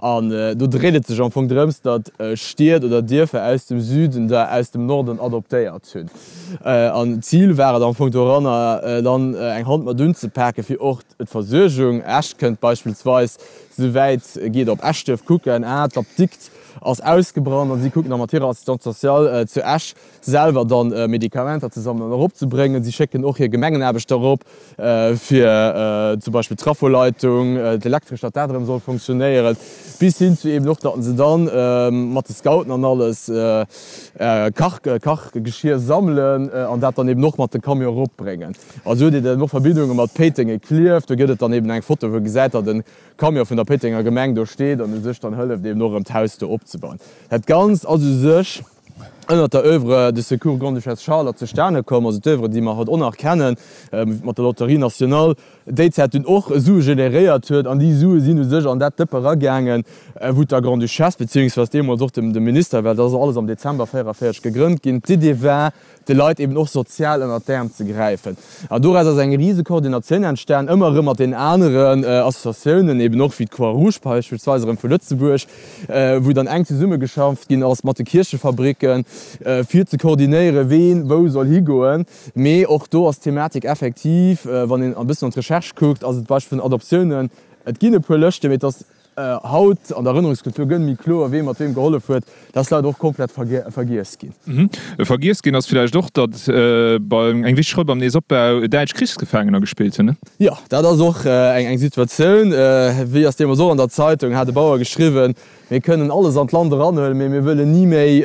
An do dréit et sech am Fong drëms, datt Stied oder Dierfer aus dem Süden der aus dem Norden adoptéiert hunn. An d'Zil war et am Fong doranner, dann eng Hand mat unzepaken, fir och d'Versuergung, Esch kënnt beispillsweis souwäit geet op Eschduerf kucken, ah d'Apdikt ass ausgebrannt, an si kucken da mat hirer Assistante sociale zu Esch selwer dann Medikamenter ze sammelen an eropzebréngen. Si schécken och hir Gemengenaarbechter erop, fir zum Beispill d'Traffoleitung, d'Elektresch, datt dat erëm soll funktionéieren, bis hin zu eben och, datt se dann mat de Scouten an alles Kach, Kachgeschier sammelen an dat dann eben och mat de Camion eropbréngen. A sou huet een dann och Verbindunge mat Péiteng, Klierf. Do gëtt et dann eben eng Foto, wou ee gesäit, datt e Camion vun der Péitenger Gemeng do steet an u sech dann hëlleft eben och erëm d'Haus do opzebauen. Dat Ganzt ass u sech ënnert der Oeuvre de Secours Grande-Duchesse Charlotte zustane komm, also d'Oeuvre, déi mer haut och nach kennen, mat der Loterie Nationale, déi Zäit dunn och Sue generéiert huet. An déi Sue sinn u sech an dat Dëppe eragaangen, wou der Grande-Duchesse, beziehungsweise deemools och dem Minister, well dat ass alles am Dezember véieraféierzeg gegrënnt ginn, d'Idee war, de Leit eben och sozial ënnert d'Äerm ze gräifen. An doraus ass eng rise Koordinatioun entstan, ëmmer erëm mat deenen aneren Associatiounen, eben och wéi d'Croix-Rouge beispillsweis erëm vu Lëtzebuerg, wou dann enk zesummegeschafft ginn ass mat de Kierchefabricken, fir ze koordinéieren, ween wou soll higoen. Mee och do ass d'Thematik effektiv, wann een e bëssen an d'Recherche kuckt, ass et d'Beispill vun Adoptiounen, et ginn e puer Lëschten, mee et ass haut an der Erënnerungskultur gënn méi kloer, wee mat weem gehollef huet. Dat ass leider och komplett vergiess ginn. Vergiess ginn ass villäicht och, datt eng wichteg Roll beim Neesopbau däitsch Krichsgefaangener gespillt hunn. Jo, dat ass och eng Situatioun. Wéi ass deemools och an der Zeitung, hat e Bauer geschriwwen, Mir kënnen alles an d'Land eranhuelen, mee mir wëllen ni méi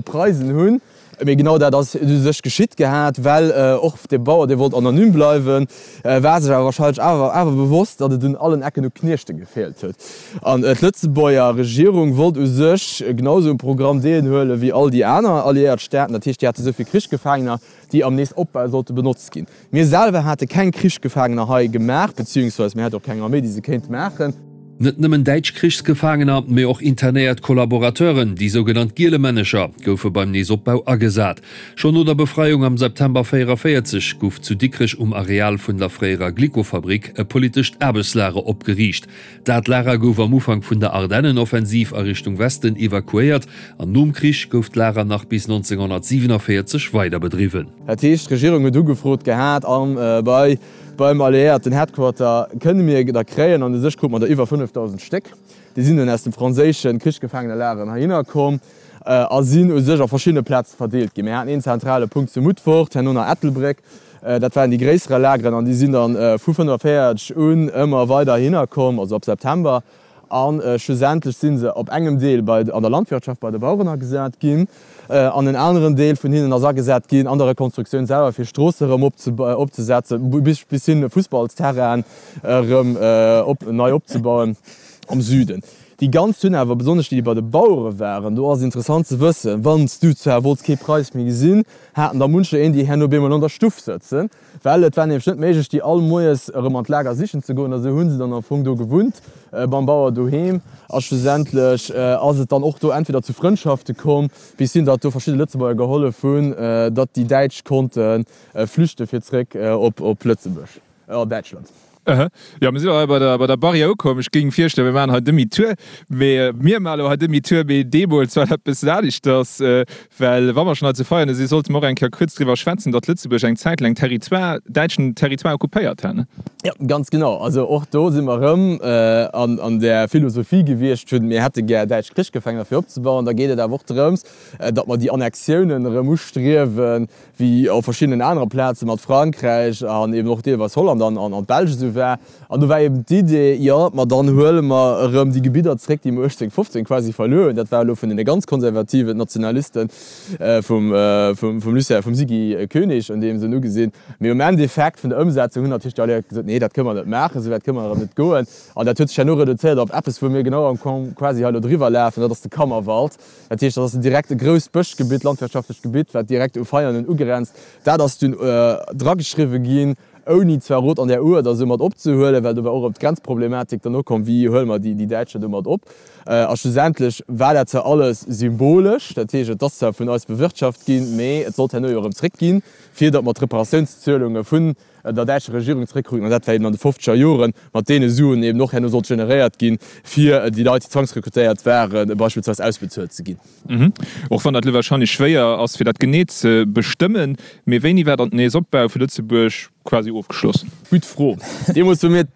d'Preisen hunn. Mee genau dat ass u sech geschitt gehat, well och de Bauer, dee wollt anonym bleiwen, war sech awer wahrscheinlech awer awer bewosst, datt et un allen Ecken u Kniechte gefeelt huet. An d'Lëtzebuerger Regierung wollt u sech genau esou um Programm deelhuele wéi all déi aner alliéiert Staaten. Dat heescht, déi hate esou vill Krichsgefaangener, déi am Neesopbau sollte benotzt ginn. Mir selwer hate keng Krichsgefaangener hei gemaach, beziehungsweise mir hate och keng Arméi, déi se kéint maachen. Net nëmmen däitsch Krichsgefaangener, mee och internéiert Kollaborateuren, déi sougenannt Gielemännecher, goufe beim Neesopbau agesat. Schonn no der Befreiung am September véieraféierzeg gouf zu Dikrech um Areal vun der fréierer Glyco-Fabrik e politescht Aarbechtslager opgeriicht. Dat Lager gouf am Ufank vun der Ardennenoffensiv a Richtung Westen evakuéiert an nom Krich gouf d'Lager nach bis nonzénghonnertsiwenavéierzeg weider bedriwwen. Dat heescht, d'Regierung huet ugefrot gehat a bei beim alliéierten Headquarter kënne mir der kréien, an u sech krute mer der iwwer fënnefdausend Stéck. Déi sinn dunn aus dem franséische Krichsgefaangenelageren heihinner komm a sinn u sech a verschiddene Plaze verdeelt ginn. Mir haten een zentrale Punkt zu Mutfort, herno nach Ettelbréck. Dat waren déi gréisserer Lageren an déi sinn dann vu fënnefavéierteg un ëmmer weider heihinner komm, also ab September. A schlussendlech si se op engem Deel bei an der Landwirtschaft bei de Baueren agesat ginn an en aneren Deel vun hinnen ass agesat ginn an der Rekonstruktioun selwer, fir Stroosse erëm opzesetzen, bis hin Fussballsterrainen erëm nei opzebauen am Süden. Déi ganz hunn awer, besonnesch déi, déi bei de Bauere waren, do ass interessant ze wëssen, wann s du zwar wollts kee Preis méi gesinn, haten der muncher een, déi herno bemol an der Stuff sëtzen, well et war nämlech net méiglech, déi all moies erëm an d'Lager sichen ze goen. A sou hu se dann am Fong do gewunnt, beim Bauer doheem. A schlussendlech ass et dann och do entweder zu Frëndschafte komm, bis hin, datt do verschidde Lëtzebuerger gehollef hunn, datt déi Däitsch konnte flüchte fir zréck op Lëtzebuerg, an Däitschland. Aha. Jo, mir sinn elo hei bei der, bei der Barrière ukomm. Ech géing virschloen, mir maachen hei Demi-tour. Mee mir maachen elo hei Demi-tour, mee deemools war dat e bëssen aneschters. Well wa mer schonn hei zu Veianen sinn, sollte mer och eng Kéier kuerz driwwer schwätzen, datt Lëtzebuerg eng Zäit laang Territoire, däitschen Territoire occupéiert hat, ne? Jo, ganz genau. Also och do si mer erëm an, an där Philosophie gewiescht vun, mir hätte gär däitsch Krichsgefängener fir opzebauen. Da geet et awer och drëms, datt mer déi Annexiounen erëm ustriewen, wéi op verschiddenen anere Plaze mat Frankräich an eben och deelweis Holland an an d'Belsch esou war. An do war eben d'Idee, jo, ma dann huele mer erëm déi Gebidder zréck, déi mer uechtzéng fofzéng quasi verluer hunn. Dat war elo vun deene ganz konservativen Nationaliste vum vum Lucien, vum Siggy Koenig an deem Sënn ugesinn. Mee um Endeffekt vun der Ëmsetzung hunn natierlech déi Alliéiert gesot, nee, dat kënne mer net maachen, esou wäit kënne mer erëm net goen. An dat huet sech herno reduzéiert op eppes, wou mir genau am quasi hei elo driwwer lafen, dat ass de Kammerwald. Dat heescht, dat ass direkt e grousst Bëschgebitt, landwirtschaftlecht Gebitt, wat direkt u Veianen ugrenzt. Dat ass dunn drageschriwwe ginn, ouni zwar Rot an der Uerder esou mat opzehuelen, well do war och erëm d'Grenzproblematik dann ukomm, wéi huele mer déi Däitscher do mat op? A schlussendlech war dat zwar alles symbolesch, dat heescht, et ass zwar vun eis bewirtschaft ginn, mee et sollt herno jo erëm zréckginn, fir datt mer d'Reparatiounszuelunge vun der däitscher Regierung zréckkruten, an dat war eben an de fofzeger Joren, mat deene Suen eben och herno sollt generéiert ginn, fir déi Leit, déi zwangsrekrutéiert waren, beispillsweis ausbezuelt ze ginn. Och wann dat elo wahrscheinlech schwéier ass, fir dat genee ze bestëmmen, mee wéini war dann den Neesopbau vu Lëtzebuerg quasi ofgeschloss? Gutt Fro. Deemools, wou mir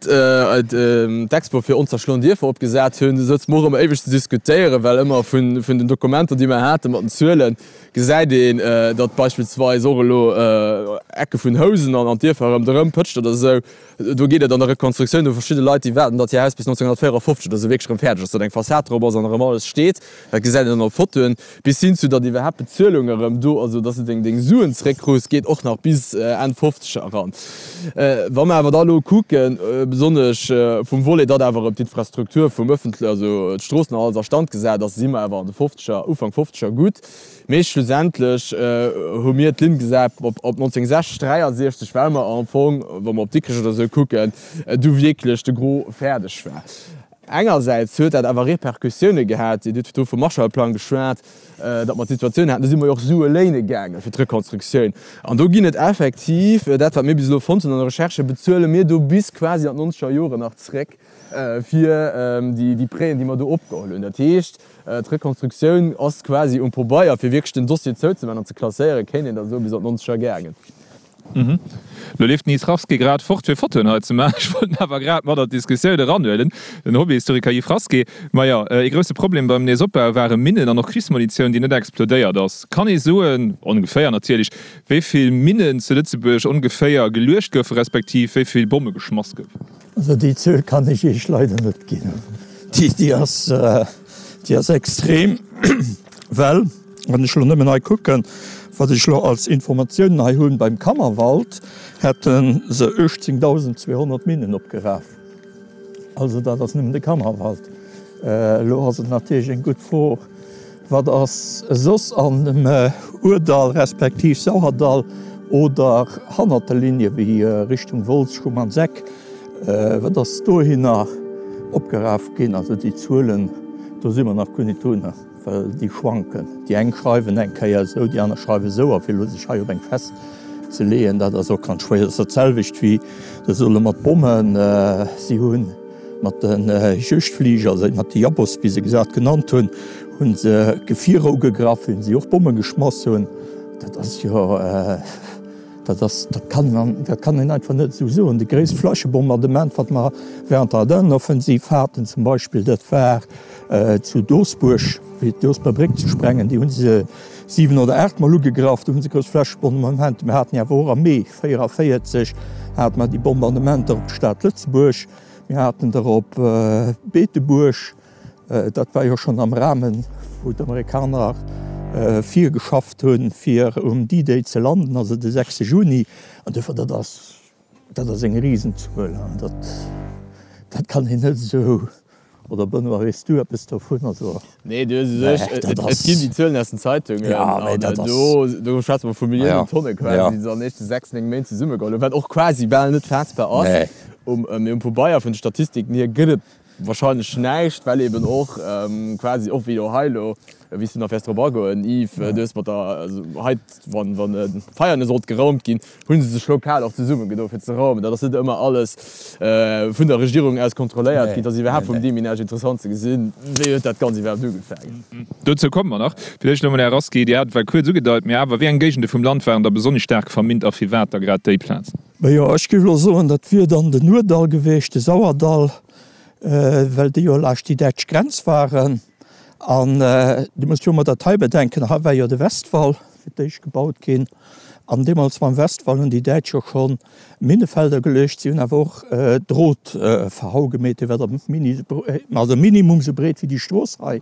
d'Expo fir onzerschloen Dierfer opgesat hunn, souze mer och ëmmer éiweg ze diskutéieren, well ëmmer vun den Dokumenter, déi mer haten, mat den Zuelen, gesäit een, datt beispillsweis och elo Ecke vun Housen an Dierfer ronderëm Pëtscht oder esou, do geet et an der Rekonstruktioun, do verschidde Leit, déi waarden, datt hir Haus bis nonzénghonnertvéierafofzeg oder esou wierklech erëm fäerdeg ass, datt eng Fassad drop ass an erëm alles steet. Dat gesäit een dann op Fotoen. Bis hin zu, datt iwwerhaapt d'Bezuelung erëm do, also datt s de deng Suen zeréckkrus, geet och nach bis Enn Fofzeger eran. Wa mer awer da elo kucken, besonnesch vum Volet, datt awer erëm d'Infrastruktur vum ëffentle, also d'Stroossen an alles a Stand gesat ass, si mer awer an de fofzeger, Ufank fofzeger gutt. Mee schlussendlech hu mir d'Linn gesat op neunzehnhundertsechzig, dräiasechzig, well mer am Fong, wa mer op Dikrech oder esou kucken, du wierklech de Gros fäerdeg war. Engersäits huet dat awer Repercussioune gehat, Dir hutt do vum Marshallplang geschwat, datt mer d'Situatioun haten, do si mer jo och Sue léine gaange fir d'Rekonstruktioun. An do ginn et effektiv, dat wat mir bis elo fonnt hunn an der Recherche, bezuele mir do bis quasi an d'nonzeger Joren nach zréck fir déi Prêten, déi mer do opgeholl hunn. Dat heescht, d'Rekonstruktioun ass quasi um Pobeier, fir wierklech den Dossier zouzemaachen an ze klasséieren, kéint een da soen, bis an d'nonzeger gaangen. Lo leeft den Yves Rasqué grad fort fir Fotoen hei ze maachen. Ech wollt en awer grad mat an d'Diskussioun eranhuelen, den Hobbyhistoriker Yves Rasqué. Majo, ee grousse Problem beim Neesopbau ware Minnen an och Krichsmunitioun, déi net explodéiert ass. Kann ee soen, ongeféier natierlech, wéi vill Minnen zu Lëtzebuerg ongeféier geluecht goufe respektiv wéi vill Bomme geschmass goufen? Also déi Zuel kann ech Iech leider net ginn. Déi ass, déi ass extrem, well wann ech elo nëmmen hei kucken, wat ech elo als Informatiounen hei hunn, beim Kammerwald hätte se uechtzéngtausendzweehonnert Minnen opgeraf. Also dat ass nëmmen de Kammerwald. Elo ass et natierlech eng gutt Fro, wat ass soss an dem Ourdall respektiv Sauerdall oder hannert de Ligne wéi Richtung Wolz, Schumannseck, wat ass dohinner opgeraf ginn? Also déi Zuelen, do si mer nach guer net drun. Well déi schwanken. Déi eng schreiwen eng Kéier esou, déi aner schreiwen esou. A fir elo sech hei op eng festzeleeën, dat ass och ganz schwéier. Dat ass dat selwecht wéi se solle mat Bommen, si hu mat de Juegdfliger, also mat de Jabos, wéi se gesat genannt hunn, hu se Gefierer ugegraff, hunn si och Bomme geschmass hunn. Dat ass jo, dat ass, dat kann een, dat kann een einfach net esou soen. Déi gréisst Flächebombardement, wat mer während der Ardennenoffensiv haten zum Beispill, dat war zu Doosbuerg, fir d'Doosber Bréck ze sprengen, déi hu se siwen oder aacht Mol ugegraff, do hu se grouss Flächebombardementer. Mir haten jo awer och am Mee véieraféierzeg hate mer déi Bombardementer op d'Stad Lëtzebuerg, mir haten der op Beetebuerg, dat war jo schonn am Rahmen, wou d'Amerikaner virgeschafft hunn, fir um D-Day ze landen, also de sechste Juni. An duerfir, dat ass, dat ass eng Risenzuel an dat, dat kann een net esou. Oder Benoît, weess du eppes dovun? Also, Nee, du hues u sech, et ginn déi Zuelen aus den Zeitungen, an do, do schwätze mer vu Milliounen Tonne quasi, déi se an den éischte sechs, néng Méint zesummegeholl hunn, wat och quasi bal net faassbar ass. Um, mee um Pabeier vun de Statistiken hier gëtt et wahrscheinlech näischt, well eben och quasi, och wéi elo hei elo, wéi s du nach wäers drop agoen, Yves, du hues mat der, also hei, wann, wann Veianen sollt geraumt ginn, hu se sech lokal och zesummegedo fir ze raumen. Dat ass net ëmmer alles vun der Regierung aus kontrolléiert ginn. Et ass iwwerhaapt vum Deminage interessant ze gesinn, wéi huet dat Ganzt iwwerhaapt ugefaangen. Dozou komme mer nach. Villäicht elo mol, Här Rasqué, Dir hat et well kuerz ugedeit, mee awer, wéi eng Géigende vum Land waren da besonnesch staark verminnt a firwat da grad déi Plazen? Majo, ech géif elo soen, dat wier dann den Ourdall gewiescht, de Sauerdall, well déi jo laascht déi däitsch Grenz waren. An Dir musst jo ëmmer dat hei bedenken, hei war jo de Westwall fir d'éischt gebaut ginn. An deemools mam Westwall hunn déi Däitsch jo scho Minnefelder geluecht. Si hunn awer och Drot verhau gemeet, dee war da mini, also minimum esou breet wéi déi Strooss hei,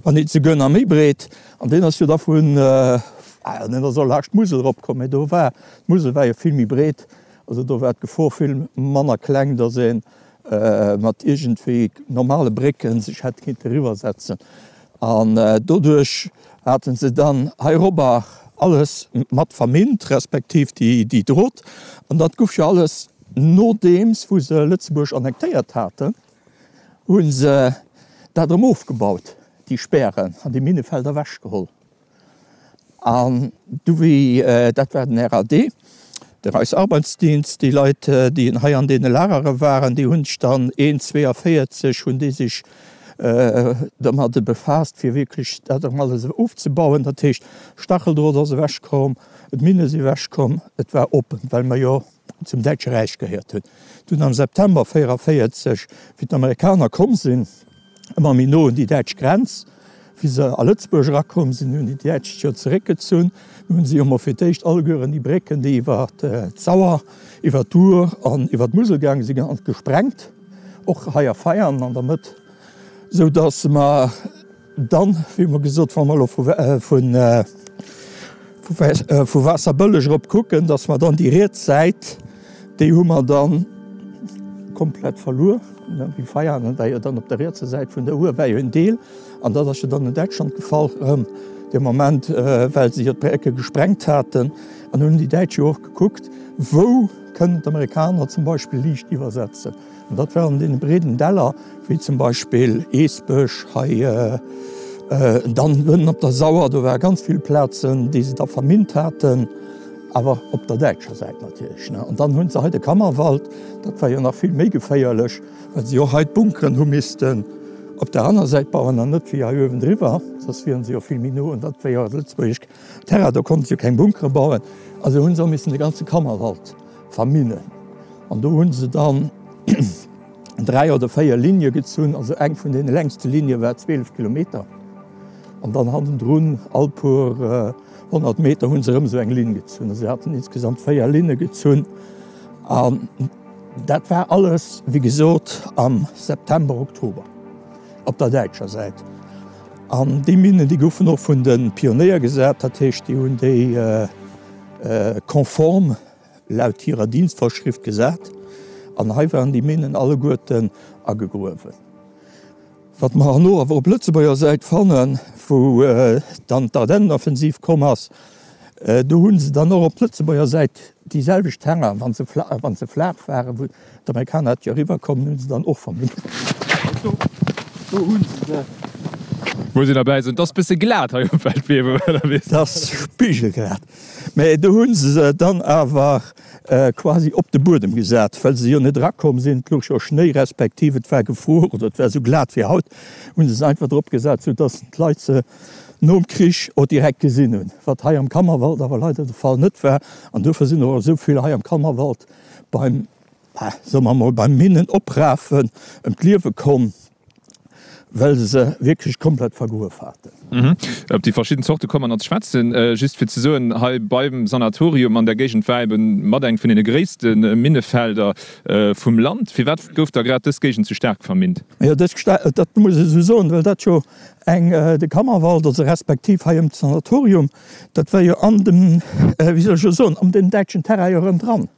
wann net souguer nach méi breet. An deen ass jo da vun, deen ass och laascht d'Musel eropkomm, mä do war, d'Musel war jo vill méi breet, also do war d'Gefor vill manner kleng, datt ee mat iergendwéi normale Brécke sech hätt kinnte eriwwersetzen. An doduerch hate se dann heirobber alles mat verminnt, respektiv déi Drot. An dat guff jo alles nodeems wou se Lëtzebuerg annektéiert haten, hu se dat erëm ofgebaut, déi Spären an déi Minnefelder ewechgeholl. An du wéi, dat war den R A D, de Reichsarbeitsdienst, déi Leit, déi hei an deene Lagere waren, déi hunn sech dann een zwéiavéierzeg hunn déi sech dermadde befaasst, fir wierklech dat erëm alles ofzebauen. Dat heescht, Stacheldrot ass ewechkomm, d'Minne si ewechkomm, et war oppen, well mer jo zum Däitsche Räich gehéiert hunn. Dunn am September véieraféierzeg, wéi d'Amerikaner komm sinn, ëmmer méi no un déi däitsch Grenz, wéi se a Lëtzebuerg erakomm sinn, hunn déi Däitsch sech jo zeréckgezunn. Dunn hunn si jo mol fir d'éischt allegueren déi Brécken, déi iwwer d'Sauer, iwwer d'Our an iwwer d'Musel gaange sinn, gesprengt, och hei a Veianen an der Mëtt. Sou dass mer dann, wéi mer gesot, wa mer elo vu vu Waasserbëlleg erop kucken, dass mer dann déi riets Säit Déi hu mer dann komplett verluer. Wéi Veianen war jo dann op der rietser Säit vun der Our war jo en Deel, an dat ass jo dann un Däitschland gefall erëm dee Moment, well se jo d'Brécke gesprengt haten. An hunn déi Däitsch jo och gekuckt, wou kënnen d'Amerikaner zum Beispill liicht iwwersetzen. An dat war an deene breeden Däller, wéi zum Beispill Eesbech hei, dann ënnen op der Sauer, do ware ganz vill Plazen, déi se da verminnt haten, awer op der däitscher Säit natierlech. An dann hu se hei de Kammerwald, dat war jo nach vill méi geféierlech, well se jo hei d'Bunkeren hu missten op der aner Säit bauen an net wéi hei uewendriwwer, soss wieren se jo vill méi no, an dat war jo lëtzebuergesch Terrain, do konnte se jo keng Bunkere bauen. Also hu se och missen de ganze Kammerwald verminnen. An do hu se dann dräi oder véier Ligne gezunn, also eng vun deene längste Ligne war zwielef Kilometer. An dann hannendrun all puer honnert Meter hu se erëm esou eng Linn gezunn. Also se haten insgesamt véier Linne gezunn. An dat war alles, wéi gesot, am September, Oktober op der däitscher Säit. An déi Minnen, déi goufen och vun de Pionéier gesat, dat heescht, déi hunn déi konform laut hirer Dienstvorschrift gesat. An hei waren déi Minnen alleguerten agegruewen. Wat mer herno awer op Lëtzebuerger Säit fannen, wou dann d'Ardennenoffensiv komm ass, do hu se dann och op Lëtzebuerger Säit déi selwecht Terrainen, wa se wa se flaach waren, wou d'Amerikaner hätte jo eriwwerkommen, hu se dann och vermint. Do, do hu se se. Wou se derbäi sinn. Et ass bësse glat hei um Feldwee, oder wéi? Et ass spigelglat. Mä do hu se se dann awer quasi op de Buedem gesat, well se jo net erakomm sinn, et louch jo Schnéi respektiv et war gefruer oder et war esou glat wéi haut, hu se se einfach drop gesat, soudass d'Leit se nom Krich och direkt gesinn hunn, wat hei am Kammerwald awer leider de Fall net war. An dofir sinn och esou vill hei am Kammerwald beim, soe mer emol, beim Minnenoprafen ëm d'Liewe komm. Well se se wierklech komplett vergruef haten. Op déi verschidden Zorte komme mer nach ze schwätzen. Just fir ze soen, hei beim Sanatorium an der Géigend war eben mat eng vun deene gréisste Minnefelder vum Land. Firwat gouf da grad dës Géigend sou staark verminnt? Jo, dës, dat muss ech esou soen, well dat jo eng, de Kammerwald, also respektiv hei ëm d'Sanatorium, dat war jo an dem, wéi soll ech elo soen, an dem däitschen Terrain jo erëm dran.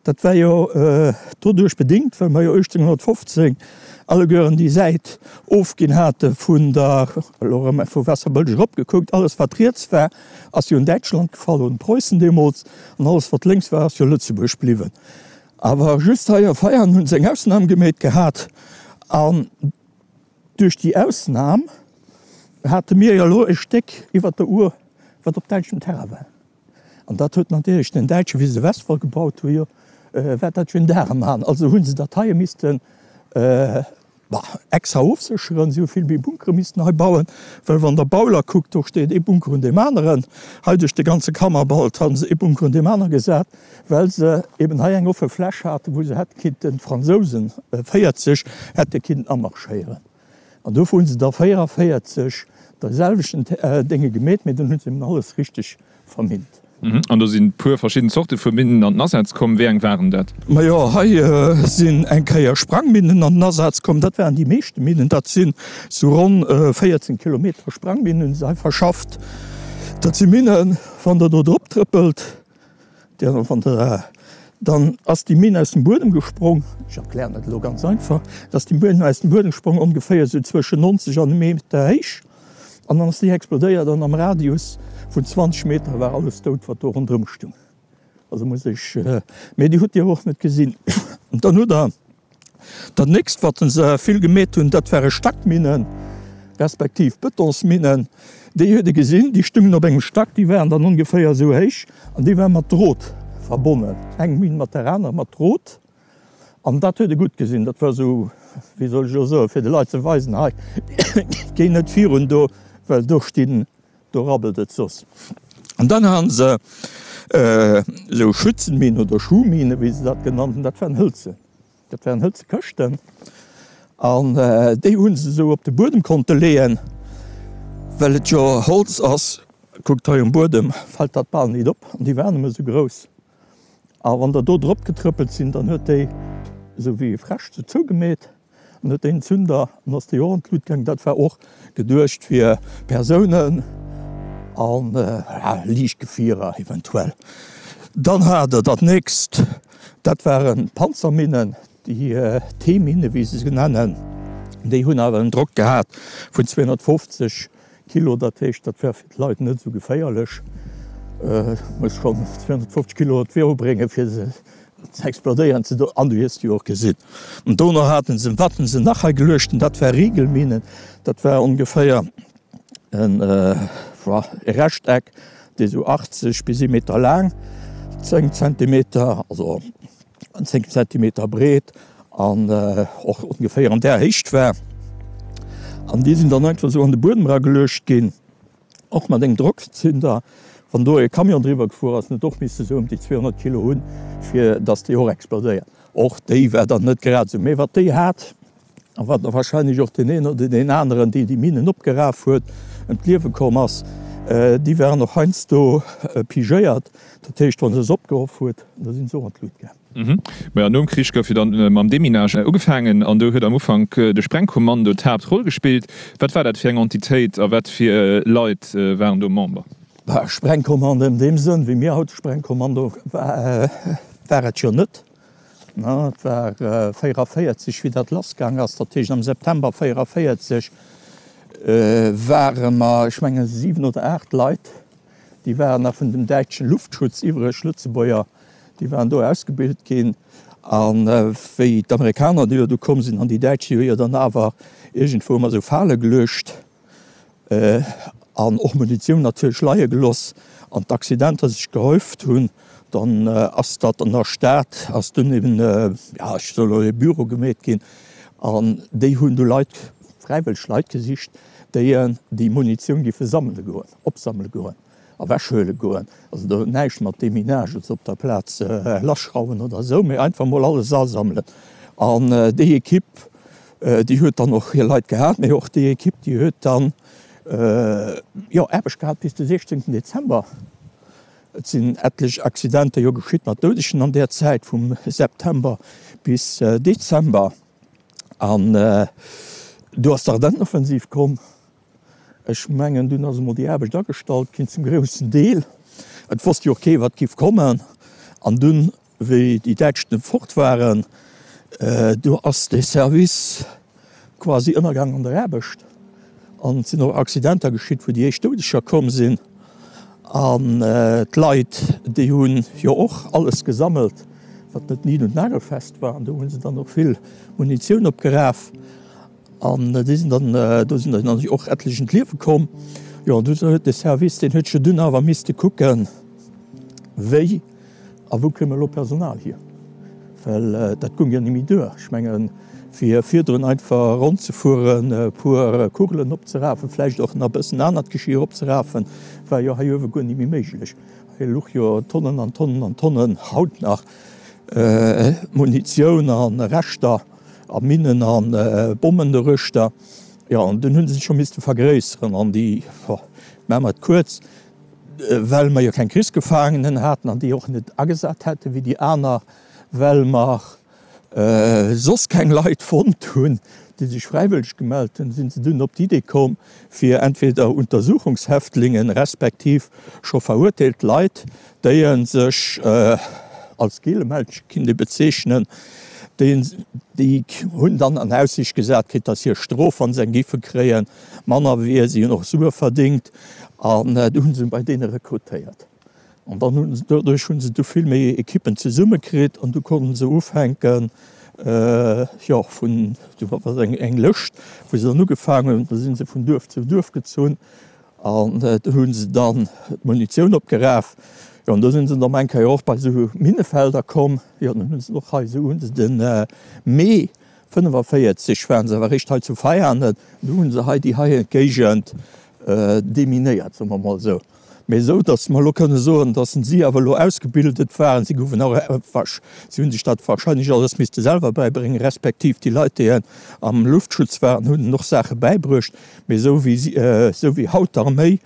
Dat war jo doduerch bedingt, well mer jo uechtzénghonnertfofzéng allegueren déi Säit ofginn hate vun der, elo erëm vu Waasserbëlleg erop gekuckt, alles wat riets war, ass jo un Däitschland gefall, un Preussen deemools, an alles wat lénks war, ass jo Lëtzebuerg bliwwen. Awer just hei a Veianen hu se eng Ausnam gemeet gehat an duerch déi Ausnam hate mir jo elo e Stéck iwwert der Our, wat op däitschem Terrain war. An dat huet natierlech den Däitschen, wéi se de Westwall gebaut hu jo, war dat jo en Dar am An. Also hu se dat heie missten extra ofsécheren. Si hu vill méi Bunkere missten hei bauen, well wann Der Bauler kuckt, do steet ee Bunker un deem aneren. Hei duerch de ganze Kammerwald hu se ee Bunker un deem anere gesat, well se eben hei eng offe Fläch haten, wou se hätte kinnten, d'Fransousen véierzeg hätte kinnten amarschéieren. An dofir hu se da véierevéierzeg de selwechten Dénge gemeet, mee dunn hu se eben alles richteg verminnt. An do sinn puer verschidden Zorte vu Minnen an den Asaz komm. Wéi eng waren dat? Majo, hei sinn eng Kéier Sprangminnen an den Asaz komm. Dat waren déi meeschte Minnen. Dat sinn sou ronn véierzéng Kilometer Sprangminnen hunn se hei verschafft. Dat si Minnen, wann Der do drop trëppelt, wann Der, dann ass déi Minn aus dem Buedem gesprong. Ech erklären dat elo ganz einfach. Da ass déi Minn aus dem Buedem gesprong, ongeféier sou zwëschen nonzeg an e Meter héich. An dann ass déi explodéiert an am Radius vun zwanzeg Meter war alles dout, wat do ronderëm stung. Also muss ech, mee déi hutt Dir och net gesinn. An dann hutt Der dat nächst, wat se vill gemeet hunn, dat ware Stackminnen, respektiv Betonsminnen. Déi huet ee gesinn, déi stungen op engem Stack, déi waren dann ongeféier esou héich an déi war mat Drot verbonnen, eng Minn mat der anerer mat Drot. An dat huet e gutt gesinn. Dat war esou, wéi soll ech elo soen, fir de Leit ze weisen, hei, géi net virun do, well do stinn, do rabbelt et soss. An dann ha se esou Schützenminen oder Schuhminen, wéi se dat genannt hunn, dat waren hëlze, dat waren hëlze Këschten. An déi hu se esou op de Buedem konnte leeën, well et jo Holz ass. Kuckt hei um Buedem, fält dat bal nit op. An déi waren nëmme esou grouss. A wann der do drop getrëppelt sinn, dann huet déi esou wéi e Fräsch sou zougemeet an huet déi Zünder an ass déi och an d'Lut gaangen. Dat war och geduecht fir Persounen a liicht Gefierer eventuell. Dann hat der dat nächst Dat waren Panzerminnen, déi T-Minne wéi se se nennen. Déi hunn awer en Drock gehat vun zweehonnertfofzeg Kilo, dat heescht, dat war fir d'Leit net esou geféierlech. Muss schonn zweehonnertfofzeg Kilo op d'Wee bréngen, fir se ze explodéieren ze doen. An du hues se jo och gesinn. An dono haten se, wat hunn se nach hei geluecht? Dat war Rigelminen, dat war ongeféier en Rechteck, dee sou achtzeg bis ee Meter laang, zéng Zentimeter, also zéng Zentimeter breet an och ongeféier an där Héicht war. An déi sinn dann einfach esou an de Buedem erageluecht ginn, och mat engem Drockzünder. Wann do e Camion driwwer gefuer ass, huet och misse sou ëm déi zweehonnert Kilo hunn, fir datt déi och explodéiert. Och déi war dann net grad esou. Mee wat déi hat, a wat da wahrscheinlech och deen een oder deen aneren, deen déi Minen opgeraf huet, ëm d'Liewe komm ass, déi waren och heiansdo pigéiert. Dat heescht, wa se se opgehoff huet, da sinn se och an d'Lut gaang. Majo, nom Krich gouf jo dann mam Deminage ugefaangen an do huet am Ufank de Sprengkommando d'Haaptroll gespillt. Wat war dat fir eng Entitéit a wat fir Leit waren do Member? Sprengkommando an deem Sënn, wéi mir haut Sprengkommando, war et jo net. Et war véierevéierzeg, wéi dat lassgaang ass. Dat heescht, am September véierevéierzeg ware mer, ech mengen, siwen oder aacht Leit, déi waren nach vun dem däitschen Luftschutz iwwreg, Lëtzebuerger, déi waren do ausgebilt ginn. A wéi d'Amerikaner déi jo du komm sinn an déi Däitsch, déi hu jo dann awer iergendwou ëmmer esou Fale geluecht an och Munitioun natierlech leie geloss an d'Accidenter sech gehäuft hunn, dann ass dat an der Stad ass dunn eben, jo ech soe elo e Büro gemeet ginn an déi hunn du Leit, fräiwëlleg Leit gesicht, déi déi Munitioun giffe sammele goen, opsammele goen, ewechhuele goen. Also do huet näischt mat Deminage oder op der Plaz lassschrauwen oder esou, mee einfach mol alles asammelen. An déi Ekipp, déi huet dann och hir Leit gehat, mee och déi Ekipp, déi huet dann, jo, Aarbecht gehat bis de siechzéngten Dezember. Et sinn etlech Accidenter jo geschitt mat Doudegen an där Zäit vum September bis Dezember. An du ass d'Ardennenoffensiv komm. Ech mengen, dunn ass emol déi Aarbecht agestallt ginn, zum groussen Deel. Et wosst jo och kee wat giff kommen. An dunn, wéi déi Däitsch du fort waren, du ass dee Service quasi ënnergaang an der Aarbecht. An et sinn och Accidenter geschitt, wou déi éischt Doudeger komm sinn. An d'Leit, déi hu jo och alles gesammelt, wat net nid und nagelfest war. An do hu se dann och vill Munitioun opgeraf. An déi sinn dann, do sinn dann och etlech ëm d'Liewe komm. Jo, an du huet de Service, deen huet jo dunn awer misste kucken, wéi a wou kréie mer elo Personal hier, well dat goung jo net méi duer. Ech mengen, fir virdrun einfach ronn ze fueren, e puer Kugelen opzerafen, vläicht och nach e bëssen anert Geschir opzerafen, war jo hei uewe guer net méi méiglech. Hei louch jo Tonnen an Tonnen an Tonnen, haut nach, Munitioun a Reschter. A Minnen a Bommen doruechter. Jo, an dunn hu se sech scho misste vergréisseren. An déi, maache mer et kuerz, well mer jo keng Krichsgefaangenen haten an déi och net agesat hätte wéi déi aner, well mer soss keng Leit fonnt hunn, déi sech fräiwëlleg gemellt hunn, si se dunn op d'Idee komm, fir entweder Untersuchungshäftlingen respektiv scho verurteelt Leit, déi sech als Gelemännchen kinnt ee bezeechnen, déi hunn dann an Aussiicht gesat kritt, datt hir Strof, wa se eng géife kréien, manner wier. Si hunn och Sue verdéngt an du hu se bei deene rekrutéiert. An dann hu se, doduerch hu se du vill méi Ekippen zesummekritt an du konnte se ufänken, jo, vun, du war eng Lëscht, wou se dann ugefaangen hunn, da si se vun Duerf zu Duerf gezunn an do hu se dann d'Munitioun opgeraf. Jo, an do si se dann eng Kéier och bei esou Minnefelder komm. Jo, dann hu se och hei esou, hu se de Mee fënnefavéierzeg waren se awer eréischt hei zu Veianen, do hu se hei déi hei Géigend deminéiert, soe mer emol esou. Mee esou, datt mer elo kënne soen, datt si awer elo ausgebildet waren. Si goufen och, si hu sech dat wahrscheinlech alles misste selwer bäibréngen, respektiv déi Leit, déi am Luftschutz waren, hunn hinnen och Saache bäibruecht. Mee esou wéi si, esou wéi haut d'Arméi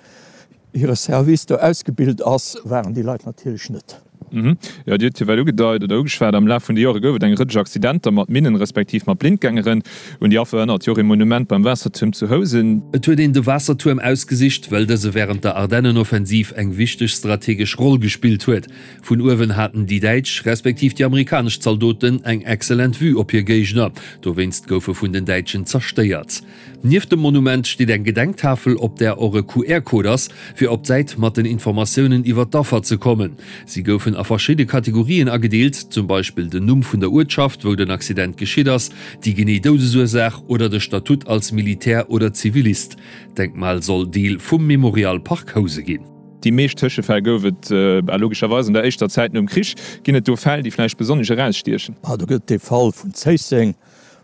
hire Service do ausgebilt ass, waren déi Leit natierlech net. Jo, Dir hutt jo well ugedeit oder ugeschwat, am Laf vun de Jore gouf et eng Rëtsch Accidenter mat Minnen, respektiv mat Blindgängeren. Un déi Affer erënnert jo och ee Monument beim Waassertuerm zu Housen. Et huet een de Waassertuerm ausgesicht, well dëse wärend der Ardennenoffensiv eng wichteg strategesch Roll gespillt huet. Vun uewen haten déi däitsch, respektiv déi amerikanesch Zaldoten eng excellent Vue op hir Géigner. Dowéinst gouf e vun den Däitschen zerstéiert. Nieft dem Monument steet eng Gedenktafel, op där och e Q R-Code ass, fir op d'Säit mat den Informatiounen iwwer d'Affer ze kommen. Si goufen a verschidde Kategorien agedeelt, zum Beispill den Numm vun der Uertschaft, wou den Accident geschitt ass, déi genee Doudesursaach oder de Statut als Militär oder Zivilist. D'Denkmal soll Deel vum Memorial Park Housen ginn. Déi meescht Tëschefäll gouf et logescherweis an der éischter Zäit nom Krich. Ginn et do Fäll, déi vläicht besonnesch erausstiechen? Do gëtt et dee Fall vun Zéisseng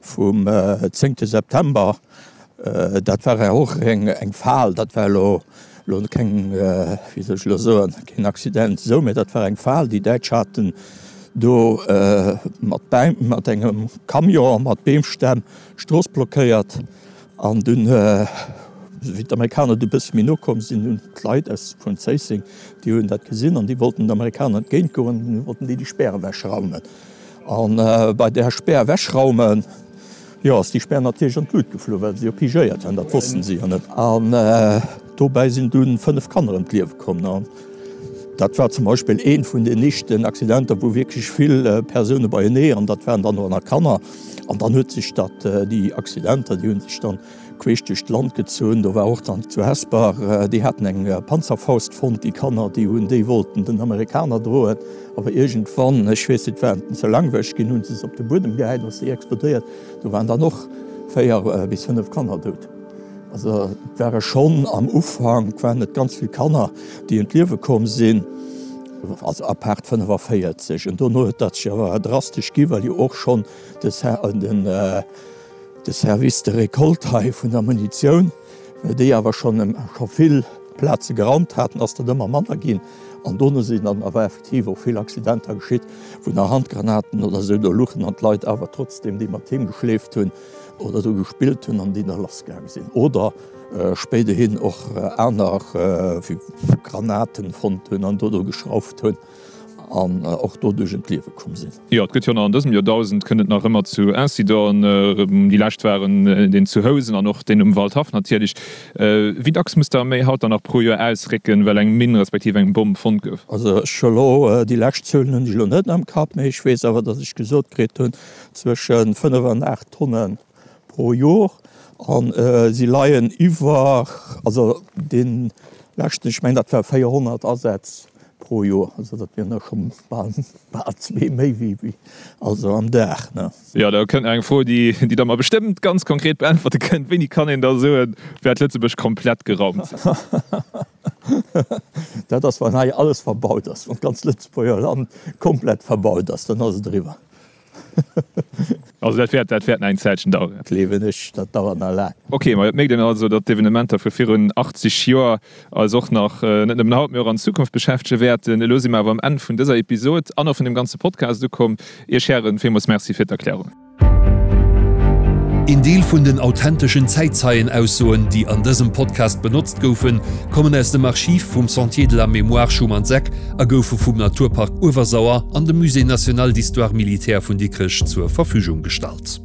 vum zéngte September. Dat war och eng Fal. Dat war elo keng, wéi soll ech elo soen, keen Accident esou, mä dat war eng Fal. Déi Däitsch haten do mat engem Camion mat Beemstämm d'Strooss blockéiert an dunn, wéi d'Amerikaner du bësse méi no komm sinn, hunn d'Leit aus vun Zéisseng, déi hunn dat gesinn an déi wollten den Amerikaner entgéint goen, dunn wollten déi déi Spär ewechraumen. A bei där Spär ewechraumen, jo, ass déi Spär natierlech an d'Lut geflu, well se jo pigéiert waren, dat wossten se jo net. An dobäi sinn dunn fënnef Kanner ëm d'Liewe komm. An dat war zum Beispill eent vun den éischten Accidenter, wou wierklech vill Persoune beienee, an dat waren dann och nach Kanner. An dann huet sech dat, déi Accidenter, déi hu sech dann queesch duerch d'Land gezunn. Do war och dann zu Hesper, déi haten eng Panzerfaust fonnt, déi Kanner, déi hunn déi wollten den Amerikaner droen. Awer iergendwann, ech weess net, war en ze langweileg ginn, hu se se op de Buedem gehäit, ass déi explodéiert. Do waren dann och véier bis fënnef Kanner dout. Also et ware schonn am Ufank waren et ganz vill Kanner, déi ëm d'Liewe komm sinn, also apaart fënnefavéierzeg. An dono huet dat sech awer drastesch gi, well jo och schonn de de Service de récolte hei vun der Munitioun, well déi awer schonn scho vill Plaze geraumt haten, ass dat ëmmer manner ginn. An dono sinn dann awer effektiv och vill Accidenter geschitt, wou nach Handgranaten oder esou do luchen an d'Leit awer trotzdeem déi mat heem geschleeft hunn oder dru gespillt hunn an déi da lassgaange sinn. Oder spéiderhin och aner Granaten fonnt hunn an do dru geschrauft hunn an och doduerch ëm d'Liewe komm sinn. Jo, et gëtt jo nach an dësem Joerdausend kënnt et nach ëmmer zu Incidenten. Déi lescht waren deen zu Housen an och deen um Waldhaff natierlech. Wéi dacks muss d'Arméi haut dann nach pro Joer ausrécken, well eng Minn respektiv eng Bomm fonnt gouf? Also ech hu elo, déi lescht Zuelen hunn ech elo net am Kapp, mee ech weess awer, datt ech gesot kritt hunn, zwësche fënnef an aacht Tonne pro Jor. A si leien iwwer, also dee leschten, ech mengen dat war véierhonnert Asätz pro Joer, also dat wieren der scho bal bal zwee méi wéi also am Dag, ne? Jo, da kënnt nach eng Fro, déi déi Der mer bestëmmt ganz konkret beäntwerte kënnt, Wéini kann een da soen, wäert Lëtzebuerg komplett geraumt sinn? Dat ass, wann hei alles verbaut ass, wann d'ganz Lëtzebuerger Land komplett verbaut ass, dann ass et eriwwer. Also dat wäert, dat wäert nach eng Zäitchen daueren. Gleewen ech, dat dauert nach laang. Ok, ma et mierkt een also, datt d'Evenementer vu virun achtzeg Joer eis och nach, net nëmmen haut, mee och an Zukunft beschäftege wäerten. Elo si mer awer am Enn vun dëser Episod an och vun dem ganze Podcast ukomm. Iech Hären villmools Merci fir d'Erklärungen. Een Deel vun den authenteschen Zäitzeienaussoen, déi an dësem Podcast benotzt goufen, kommen aus dem Archiv vum Sentier de la Mémoire Schumanns-Eck a goufe vum Naturpark Uewersauer an dem Musée national d'histoire militaire vun Dikrech zur Verfügung gestallt.